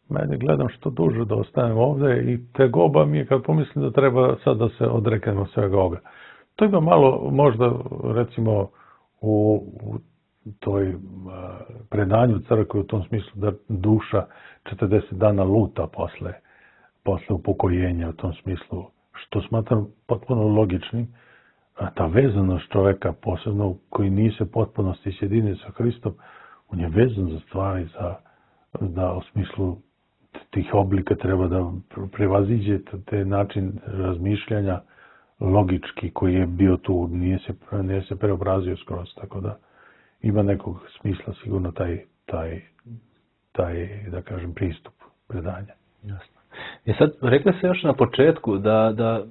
meni gledam što duže da ostanem ovdje i tegoba mi je kad pomislim da treba sad da se odreknemo svega ovoga. To ima malo možda recimo u, u toj predanju crkve u tom smislu da duša četrdeset dana luta posle, posle upokojenja u tom smislu, što smatram potpuno logičnim. A ta vezanost čoveka, posebno koji nije se potpunosti sjedinjen sa Hristom, on je vezan za stvari, za, da u smislu tih oblika treba da prevaziđe te način razmišljanja logički koji je bio tu, nije se, nije se preobrazio skroz, tako da ima nekog smisla sigurno taj, taj, taj da kažem, pristup predanja. Jasno. I sad, rekli se još na početku da, da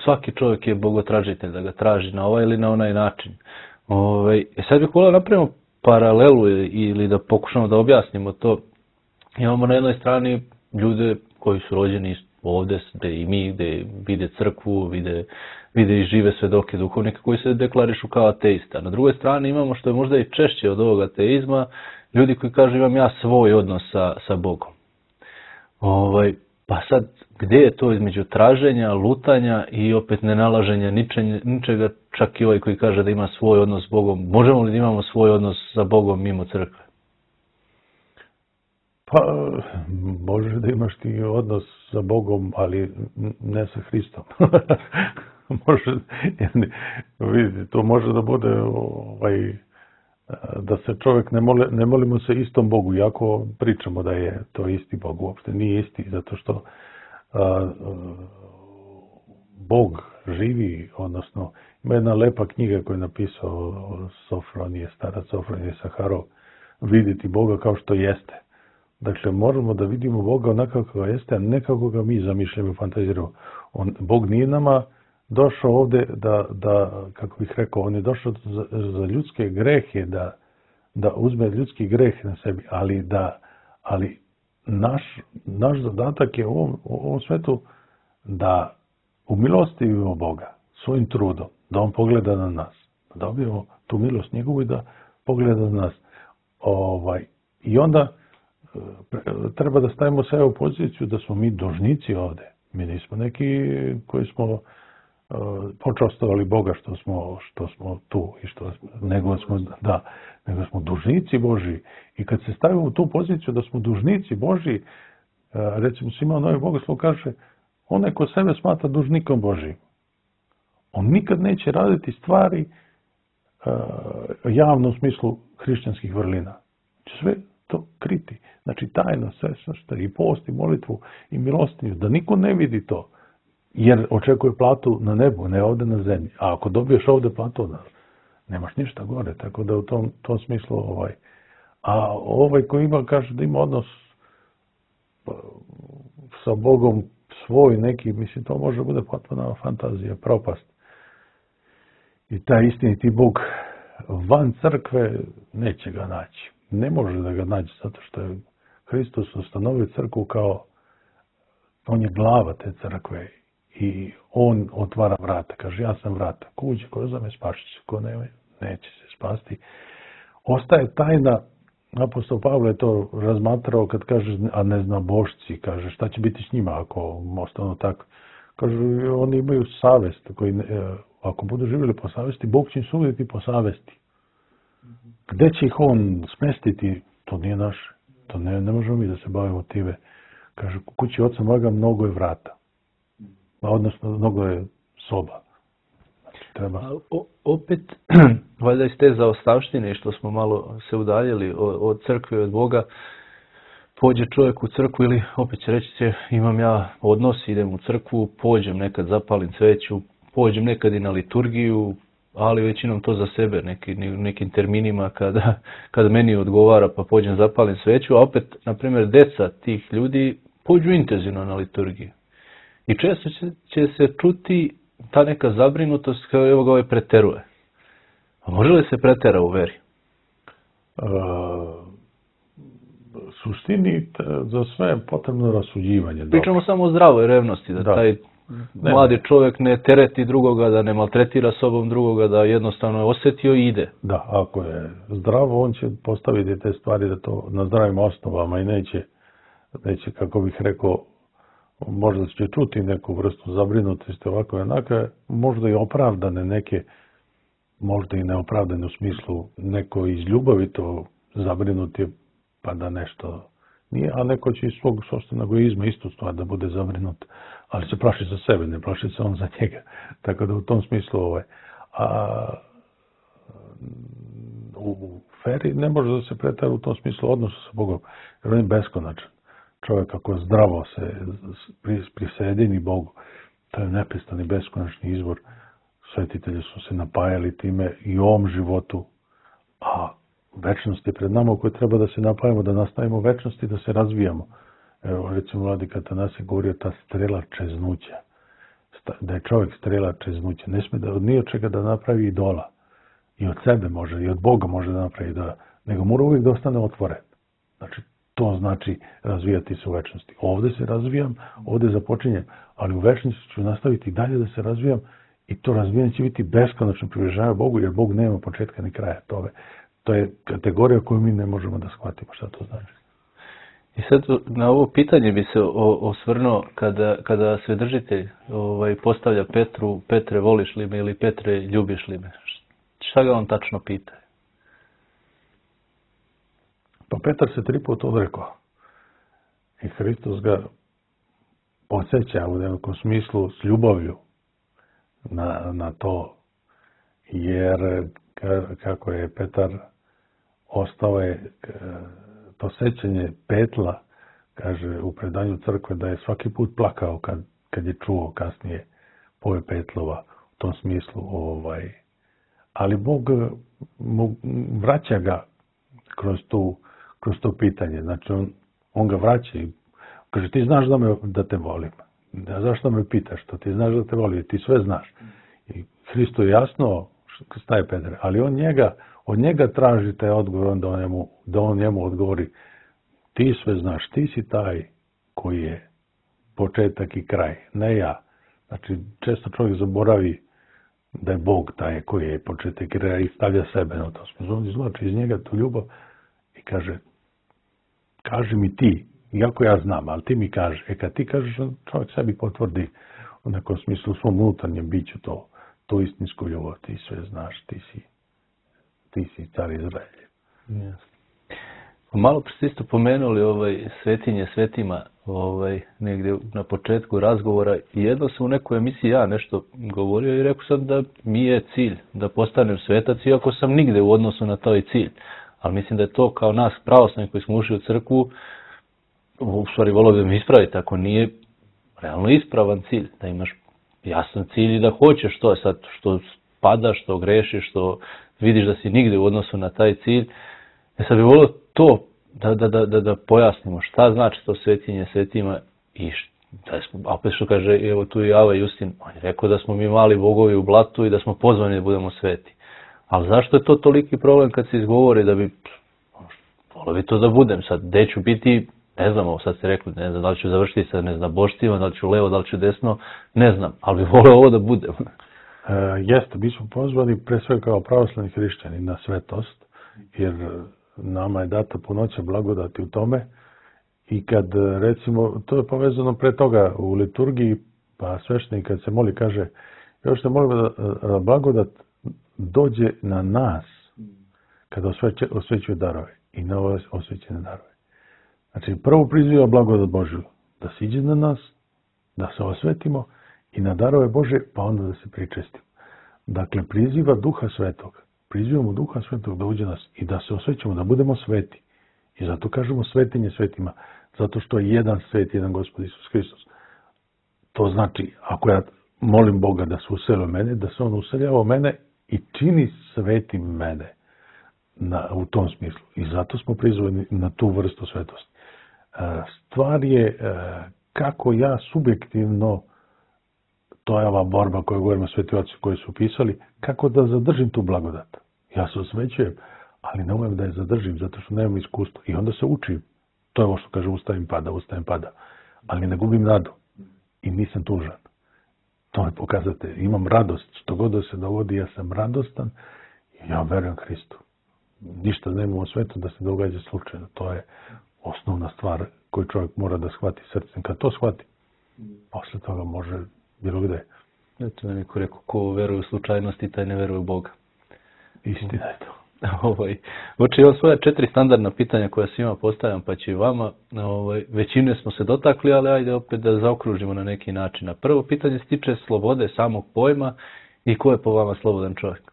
svaki čovjek je bogotražitelj, da ga traži na ovaj ili na onaj način. Ove, i sad bih volio napravimo paralelu ili da pokušamo da objasnimo to. Imamo na jednoj strani ljude koji su rođeni ovdje, gdje i mi, gdje vide crkvu, vide, vide i žive svedoke duhovnika koji se deklarišu kao ateista. Na drugoj strani imamo, što je možda i češće od ovog ateizma, ljudi koji kažu imam ja svoj odnos sa, sa Bogom. Ovaj, pa sad, gdje je to između traženja, lutanja i opet nenalaženja ničega, ničega, čak i ovaj koji kaže da ima svoj odnos s Bogom. Možemo li da imamo svoj odnos sa Bogom mimo crkve? Pa, možeš da imaš ti odnos sa Bogom, ali ne sa Hristom. Može, vidi, to može da bude ovaj, da se čovjek ne moli, ne molimo se istom Bogu, iako pričamo da je to isti Bog, uopšte nije isti, zato što a, Bog živi, odnosno ima jedna lepa knjiga koju je napisao Sofronije, starac Sofronije Saharov, vidjeti Boga kao što jeste. Dakle, možemo da vidimo Boga onako kako jeste, a ne kako ga mi zamišljamo i fantaziramo. On, Bog nije nama došao ovdje da, da, kako bih rekao, on je došao za, za ljudske grehe, da, da uzme ljudski greh na sebi, ali da, ali naš, naš zadatak je u ovom, u ovom svetu da umilostivimo Boga svojim trudom, da on pogleda na nas, da dobijemo tu milost njegovu i da pogleda na nas. Ovaj, I onda treba da stavimo sebe u poziciju da smo mi dužnici ovdje. Mi nismo neki koji smo uh, počastovali Boga što smo, što smo tu i što nego smo, da, nego smo dužnici Božji. I kad se stavimo u tu poziciju da smo dužnici Božji, uh, recimo Simeon Novi Bogoslov kaže, onaj ko sebe smatra dužnikom Božjim, on nikad neće raditi stvari uh, javno u smislu hrišćanskih vrlina. Sve to kriti. Znači tajno sve što i post i molitvu i milostinju, da niko ne vidi to, jer očekuje platu na nebu, ne ovdje na zemlji. A ako dobiješ ovdje platu, da, nemaš ništa gore, tako da u tom, tom smislu ovaj. A ovaj koji ima, kaže da ima odnos sa Bogom svoj neki, mislim, to može bude potpuna fantazija, propast. I taj istiniti Bog van crkve neće ga naći. Ne može da ga nađe, zato što je Hristos ustanovio crkvu kao, on je glava te crkve i on otvara vrata. Kaže, ja sam vrata. Ko uđe, ko uzame, spašit će. Ko ne, neće se spasti. Ostaje tajna. Apostol Pavle je to razmatrao kad kaže, a ne zna bošci, kaže, šta će biti s njima ako ostanu tako. Kaže, oni imaju savest, koji, ako budu živjeli po savesti, Bog će im suditi po savesti. Gde će ih on smestiti, to nije naše. To ne, ne možemo mi da se bavimo time. Kaže, u kući oca moga mnogo je vrata. Odnosno, mnogo je soba. Znači, treba... A, o, opet, valjda iz te zaostavštine što smo malo se udaljili od, od crkve i od Boga, pođe čovjek u crkvu ili opet će reći će, imam ja odnos, idem u crkvu, pođem nekad, zapalim sveću, pođem nekad i na liturgiju, ali većinom to za sebe, neki, nekim terminima kada, kada meni odgovara pa pođem zapalim sveću, a opet, na primjer, deca tih ljudi pođu intenzivno na liturgiju. I često će, će se čuti ta neka zabrinutost kao evo ga ovaj preteruje. A može li se pretera u veri? Uh, suštini za sve je potrebno rasuđivanje. Pričamo dobro. Samo o zdravoj revnosti, da, da. taj ne, mladi čovjek ne tereti drugoga, da ne maltretira sobom drugoga, da jednostavno je osjetio i ide. Da, ako je zdravo, on će postaviti te stvari da to na zdravim osnovama i neće, neće kako bih rekao, možda će čuti neku vrstu zabrinutosti ovako i onaka, možda i opravdane neke, možda i neopravdane u smislu neko iz ljubavi to zabrinuti pa da nešto nije, a neko će iz svog sopstvenog egoizma isto stvar da bude zabrinut, ali se plaši za sebe, ne plaši se on za njega. Tako da u tom smislu ovaj, a u feri ne može da se pretara u tom smislu odnosu sa Bogom, jer on je beskonačan. Čovjek ako zdravo se prisjedini Bogu, to je neprestani beskonačni izvor. Svetitelji su se napajali time i u ovom životu, a večnost je pred nama u kojoj treba da se napajamo, da nastavimo večnost i da se razvijamo. Evo, recimo, Vladika Atanasije govorio ta strela čeznuća. Da je čovjek strela čeznuća. Ne smije da od nije čega da napravi idola. I od sebe može, i od Boga može da napravi idola. Nego mora uvijek da ostane otvoren. Znači, to znači razvijati se u večnosti. Ovdje se razvijam, ovdje započinjem, ali u večnosti ću nastaviti dalje da se razvijam i to razvijanje će biti beskonačno približavanje Bogu, jer Bog nema početka ni kraja tome. To je kategorija koju mi ne možemo da shvatimo šta to znači. I sad na ovo pitanje bi se osvrnuo kada, kada svedržitelj ovaj, postavlja Petru, Petre, voliš li me ili Petre, ljubiš li me? Šta ga on tačno pita? Pa Petar se tri puta odrekao. I Hristos ga podsjeća u nekom smislu s ljubavlju na, na to. Jer kako je Petar ostao je to sećanje petla, kaže u predanju crkve, da je svaki put plakao kad, kad je čuo kasnije pove petlova u tom smislu. Ovaj. Ali Bog mu vraća ga kroz tu kroz to pitanje. Znači, on, on ga vraća i kaže, ti znaš da, me, da te volim. Da, zašto me pitaš to? Ti znaš da te volim, ti sve znaš. I Hristo je jasno šta je Petar, ali on njega, od njega traži taj odgovor, da on, njemu, da on njemu odgovori, ti sve znaš, ti si taj koji je početak i kraj, ne ja. Znači, često čovjek zaboravi da je Bog taj koji je početak i kraj i stavlja sebe na to. On izvlači iz njega tu ljubav i kaže, kaži mi ti, iako ja znam, ali ti mi kaži. E kad ti kažeš, čovjek sebi potvrdi u nekom smislu u svom unutarnjem biću to, to istinsku ljubav, ti sve znaš, ti si, ti si car Izraelje. Yes. Malo pre ste isto pomenuli ovaj, svetinje svetima ovaj, negdje na početku razgovora i jedno sam u nekoj emisiji ja nešto govorio i rekao sam da mi je cilj da postanem svetac, iako sam nigde u odnosu na taj cilj. Ali mislim da je to kao nas pravoslavni koji smo ušli u crkvu, u stvari volio bi me ispraviti, ako nije realno ispravan cilj, da imaš jasan cilj i da hoćeš to sad, što padaš, što grešiš, što vidiš da si nigde u odnosu na taj cilj. Ja sad bih volio to da, da, da, da, da pojasnimo šta znači to svetinje svetima i da smo, a opet što kaže, evo tu i Ava Justin, on je rekao da smo mi mali bogovi u blatu i da smo pozvani da budemo sveti. Ali zašto je to toliki problem kad se izgovori da bi, volio bi to da budem sad, gde ću biti, Ne znam, ovo sad ste rekli, ne znam da li ću završiti sa neznaboštvima, da li ću levo, da li ću desno, ne znam, ali bih voleo ovo da bude. E, jeste, mi smo pozvani pre sve kao pravoslavni hrišćani na svetost, jer nama je data punoća blagodati u tome i kad, recimo, to je povezano pre toga u liturgiji, pa sveštenik kad se moli kaže, još se molimo da blagodat dođe na nas kada osveće, osvećuje darove i na ove osvećene darove. Znači, prvo priziva blagodat Božju da siđe na nas, da se osvetimo i na darove Bože, pa onda da se pričestimo. Dakle, priziva Duha Svetog. Prizivamo Duha Svetog da uđe nas i da se osvećamo, da budemo sveti. I zato kažemo svetinje svetima. Zato što je jedan svet, jedan Gospod Isus Hristos. To znači, ako ja molim Boga da se useli u mene, da se on useljava u mene i čini svetim mene na, u tom smislu. I zato smo prizvani na tu vrstu svetosti. Stvar je kako ja subjektivno, to je ova borba koju govorimo sveti oci koji su pisali, kako da zadržim tu blagodat. Ja se osvećujem, ali ne umem da je zadržim, zato što nemam iskustva. I onda se učim. To je ovo što kaže ustajem pada, ustajem pada. Ali ne gubim nadu. I nisam tužan. To je pokazate. Imam radost. Što god da se dogodi, ja sam radostan i ja verujem Hristu. Ništa nema u svetu da se događa slučajno. To je osnovna stvar koju čovjek mora da shvati srcem. Kad to shvati, posle toga može bilo gde. Eto nam je ko rekao, ko veruje u slučajnosti, taj ne veruje u Boga. Istina je to. Ovaj, Oče, imam svoja četiri standardna pitanja koja svima postavljam, pa će i vama. Ovaj, većine smo se dotakli, ali ajde opet da zaokružimo na neki način. A prvo pitanje se tiče slobode samog pojma i ko je po vama slobodan čovjek?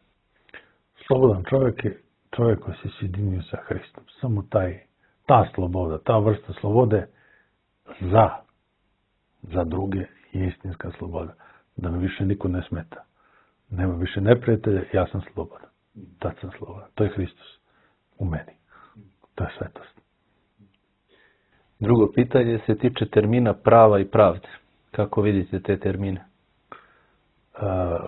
Slobodan čovjek je čovjek koji se sjedinio sa Hristom. Samo taj, ta sloboda, ta vrsta slobode za, za druge je istinska sloboda. Da mi više niko ne smeta. Nema više neprijatelja, ja sam slobodan. Tad sam slobodan. To je Hristos u meni. To je svetost. Drugo pitanje se tiče termina prava i pravde. Kako vidite te termine? A,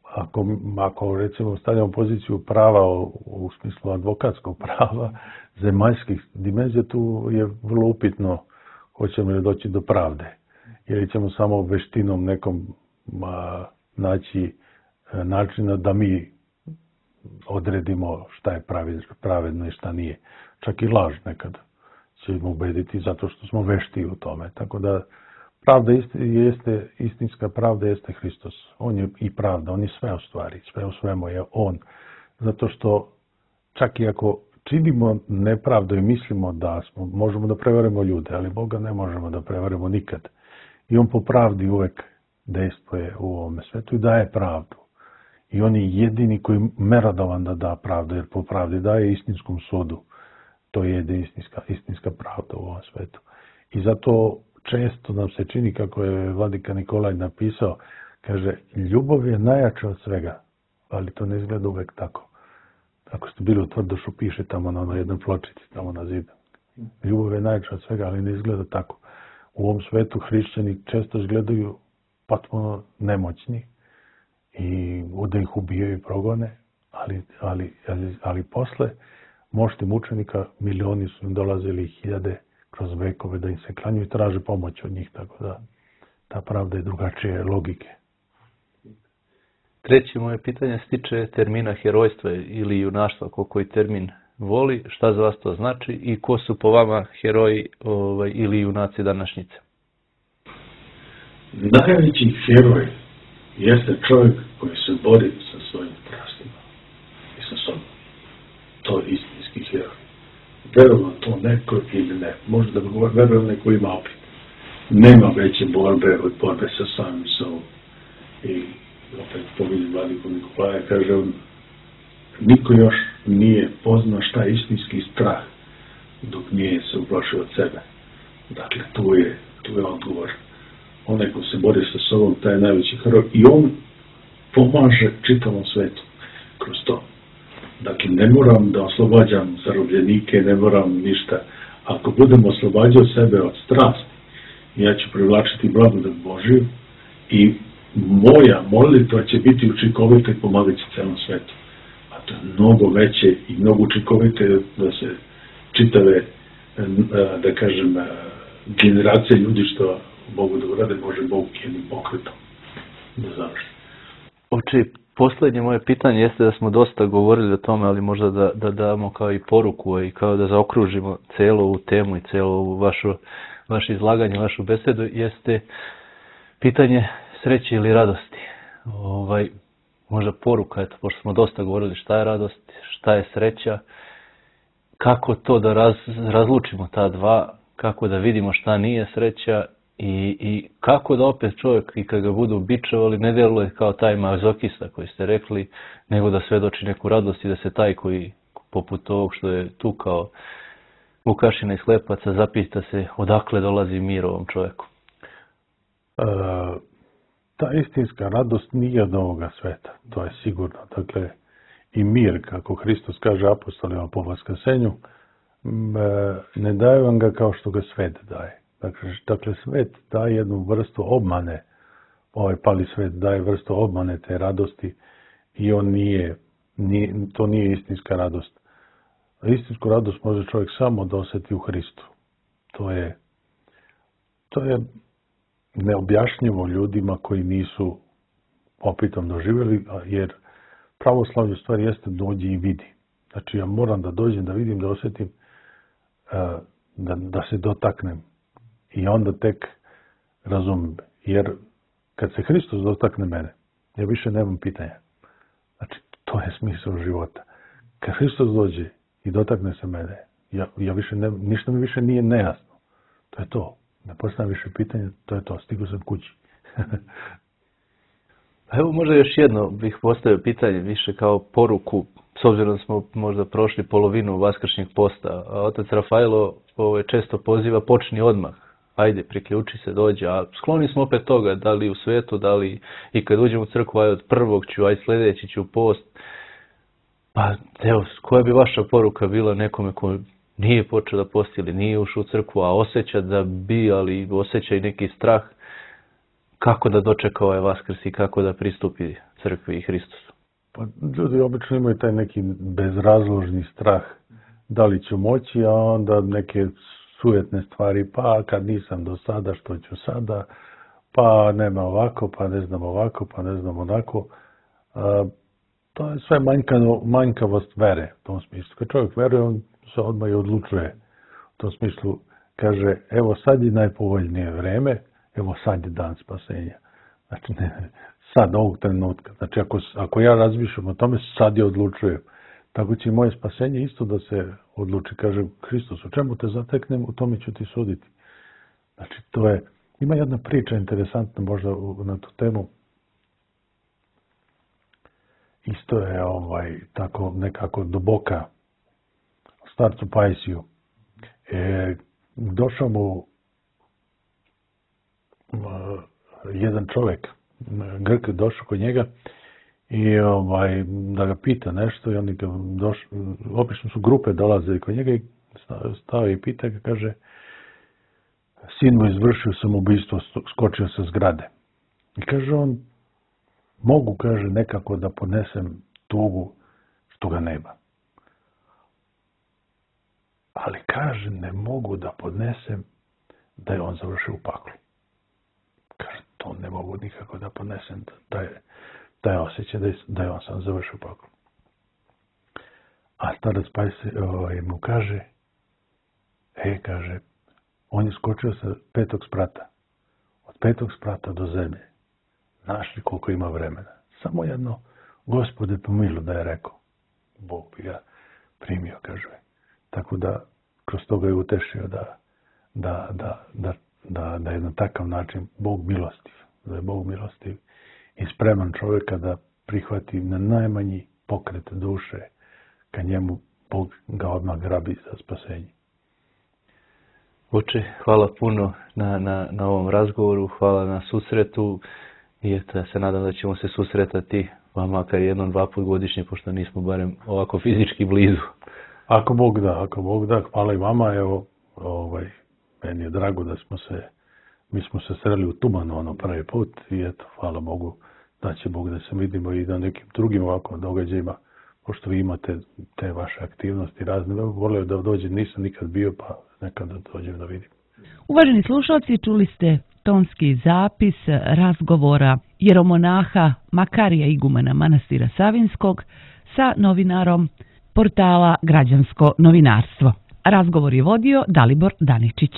ako, ako recimo stavljamo poziciju prava u, u smislu advokatskog prava, zemaljskih dimenzija, tu je vrlo upitno hoćemo li doći do pravde. Ili ćemo samo veštinom nekom a, naći a, načina da mi odredimo šta je pravedno i šta nije. Čak i laž nekad ćemo ubediti zato što smo vešti u tome. Tako da pravda jeste, istinska pravda jeste Hristos. On je i pravda, on je sve u stvari, sve u svemu je on. Zato što čak i ako činimo nepravdu i mislimo da smo, možemo da prevarimo ljude, ali Boga ne možemo da prevarimo nikad. I on po pravdi uvek dejstvuje u ovome svetu i daje pravdu. I on je jedini koji je merodavan da da pravdu, jer po pravdi daje istinskom sudu. To je istinska, istinska pravda u ovom svetu. I zato često nam se čini, kako je vladika Nikolaj napisao, kaže, ljubav je najjača od svega, ali to ne izgleda uvek tako. Ako ste bili u Tvrdošu, piše tamo na onoj jednoj pločici, tamo na zidu. Ljubav je najjača od svega, ali ne izgleda tako. U ovom svetu hrišćani često izgledaju potpuno nemoćni i da ih ubijaju i progone, ali, ali, ali, ali posle mošti mučenika milioni su im dolazili hiljade kroz vekove da im se klanju i traže pomoć od njih, tako da ta pravda je drugačije logike. Treće moje pitanje se tiče termina herojstva ili junaštva, ko koji termin voli, šta za vas to znači i ko su po vama heroji ovaj, ili junaci današnjice? Najveći heroj jeste čovjek koji se bori sa svojim strastima i sa sobom. To je istinski heroj. Verujem to neko ili ne. Možda da verujem neko ima opet. Nema veće borbe od borbe sa samim sobom. I opet povidim vladiku Nikolaja, kaže on, niko još nije poznao šta je istinski strah dok nije se uplašio od sebe. Dakle, tu je, tu je odgovor. Onaj ko se bori sa sobom, taj je najveći heroj i on pomaže čitavom svetu kroz to. Dakle, ne moram da oslobađam zarobljenike, ne moram ništa. Ako budem oslobađao sebe od strasti, ja ću privlačiti blagodat Božiju i moja molitva će biti učinkovita i pomagati celom svetu. A to je mnogo veće i mnogo učinkovite da se čitave da kažem, generacije ljudi što mogu da urade, može Bog jednim pokretom da završi. Oči, posljednje moje pitanje jeste da smo dosta govorili o tome, ali možda da, da damo kao i poruku i kao da zaokružimo celu ovu temu i celu ovu vašu, vaše izlaganje, vašu besedu, jeste pitanje sreće ili radosti. Ovaj, možda poruka, eto, pošto smo dosta govorili šta je radost, šta je sreća, kako to da raz, razlučimo ta dva, kako da vidimo šta nije sreća i, i kako da opet čovjek i kad ga budu bičevali ne djeluje kao taj mazokista koji ste rekli, nego da svedoči neku radost i da se taj koji poput ovog što je tu kao Vukašina iz Klepaca zapita se odakle dolazi mir ovom čovjeku. E, ta istinska radost nije od ovoga sveta, to je sigurno. Dakle, i mir, kako Hristos kaže apostolima po vaskrsenju, ne daje vam ga kao što ga svet daje. Dakle, dakle, svet daje jednu vrstu obmane, ovaj pali svet daje vrstu obmane te radosti i on nije, nije, to nije istinska radost. Istinsku radost može čovjek samo da osjeti u Hristu. To je, to je neobjašnjivo ljudima koji nisu opitom doživjeli, jer pravoslavlje u stvari jeste dođi i vidi. Znači ja moram da dođem, da vidim, da osjetim, da, da se dotaknem. I onda tek razumem. Jer kad se Hristos dotakne mene, ja više nemam pitanja. Znači to je smisao života. Kad Hristos dođe i dotakne se mene, ja, ja više ne, ništa mi više nije nejasno. To je to. Ne postavljam više pitanja, to je to. Stigao sam kući. Evo možda još jedno bih postavio pitanje, više kao poruku, s obzirom da smo možda prošli polovinu vaskršnjeg posta, a otac Rafaelo ovaj, često poziva počni odmah, ajde priključi se, dođe, a skloni smo opet toga, da li u svetu, da li i kad uđem u crkvu, aj od prvog ću, aj sljedeći ću u post. Pa evo, koja bi vaša poruka bila nekome ko nije počeo da posti ili nije ušao u crkvu, a osjeća da bi, ali osjeća i neki strah, kako da dočeka ovaj Vaskrs i kako da pristupi crkvi i Hristosu? Pa ljudi obično imaju taj neki bezrazložni strah da li ću moći, a onda neke sujetne stvari, pa kad nisam do sada, što ću sada, pa nema ovako, pa ne znam ovako, pa ne znam onako. A, to je sve manjkano, manjkavost vere u tom smislu. Kad čovjek veruje, on se odmah i odlučuje. U tom smislu kaže, evo sad je najpovoljnije vreme, evo sad je dan spasenja. Znači, ne, sad, ovog trenutka. Znači, ako, ako ja razmišljam o tome, sad je odlučujem. Tako će i moje spasenje isto da se odluči. Kaže, Hristos, u čemu te zateknem, u tome ću ti suditi. Znači, to je, ima jedna priča interesantna možda na tu temu. Isto je ovaj, tako nekako duboka starcu Pajsiju. E, došao mu jedan čovjek, Grk, došao kod njega i ovaj, da ga pita nešto i oni ga došli, obično su grupe dolazili kod njega i stao i pita ga, kaže, sin mu izvršio samoubistvo, skočio sa zgrade. I kaže on, mogu, kaže, nekako da podnesem tugu što ga nema. Ali kaže, ne mogu da podnesem da je on završio u paklu. Kaže, to ne mogu nikako da podnesem, da je, da je osjećaj da je, da je on sam završio u paklu. A starac Pajse ovaj, mu kaže, e, kaže, on je skočio sa petog sprata. Od petog sprata do zemlje. Znaš li koliko ima vremena? Samo jedno, Gospode pomilu, da je rekao. Bog bi ga primio, kaže. Tako da, kroz toga je utešio da, da, da, da, da, da je na takav način Bog milostiv. Da je Bog milostiv i spreman čovjeka da prihvati na najmanji pokret duše, kad njemu Bog ga odmah grabi za spasenje. Oče, hvala puno na, na, na ovom razgovoru, hvala na susretu i eto, ja se nadam da ćemo se susretati, pa makar jednom, dva put godišnje, pošto nismo barem ovako fizički blizu. Ako Bog da, ako Bog da, hvala i vama, evo, ovaj, meni je drago da smo se, mi smo se sreli u Tumanu ono prvi put i eto, hvala Bogu da će Bog da se vidimo i na nekim drugim ovako događajima, pošto vi imate te vaše aktivnosti razne, volio da dođem, nisam nikad bio, pa nekad da dođem da vidim. Uvaženi slušalci, čuli ste tonski zapis razgovora jeromonaha Makarija igumana manastira Savinskog sa novinarom portala Građansko novinarstvo. Razgovor je vodio Dalibor Daničić.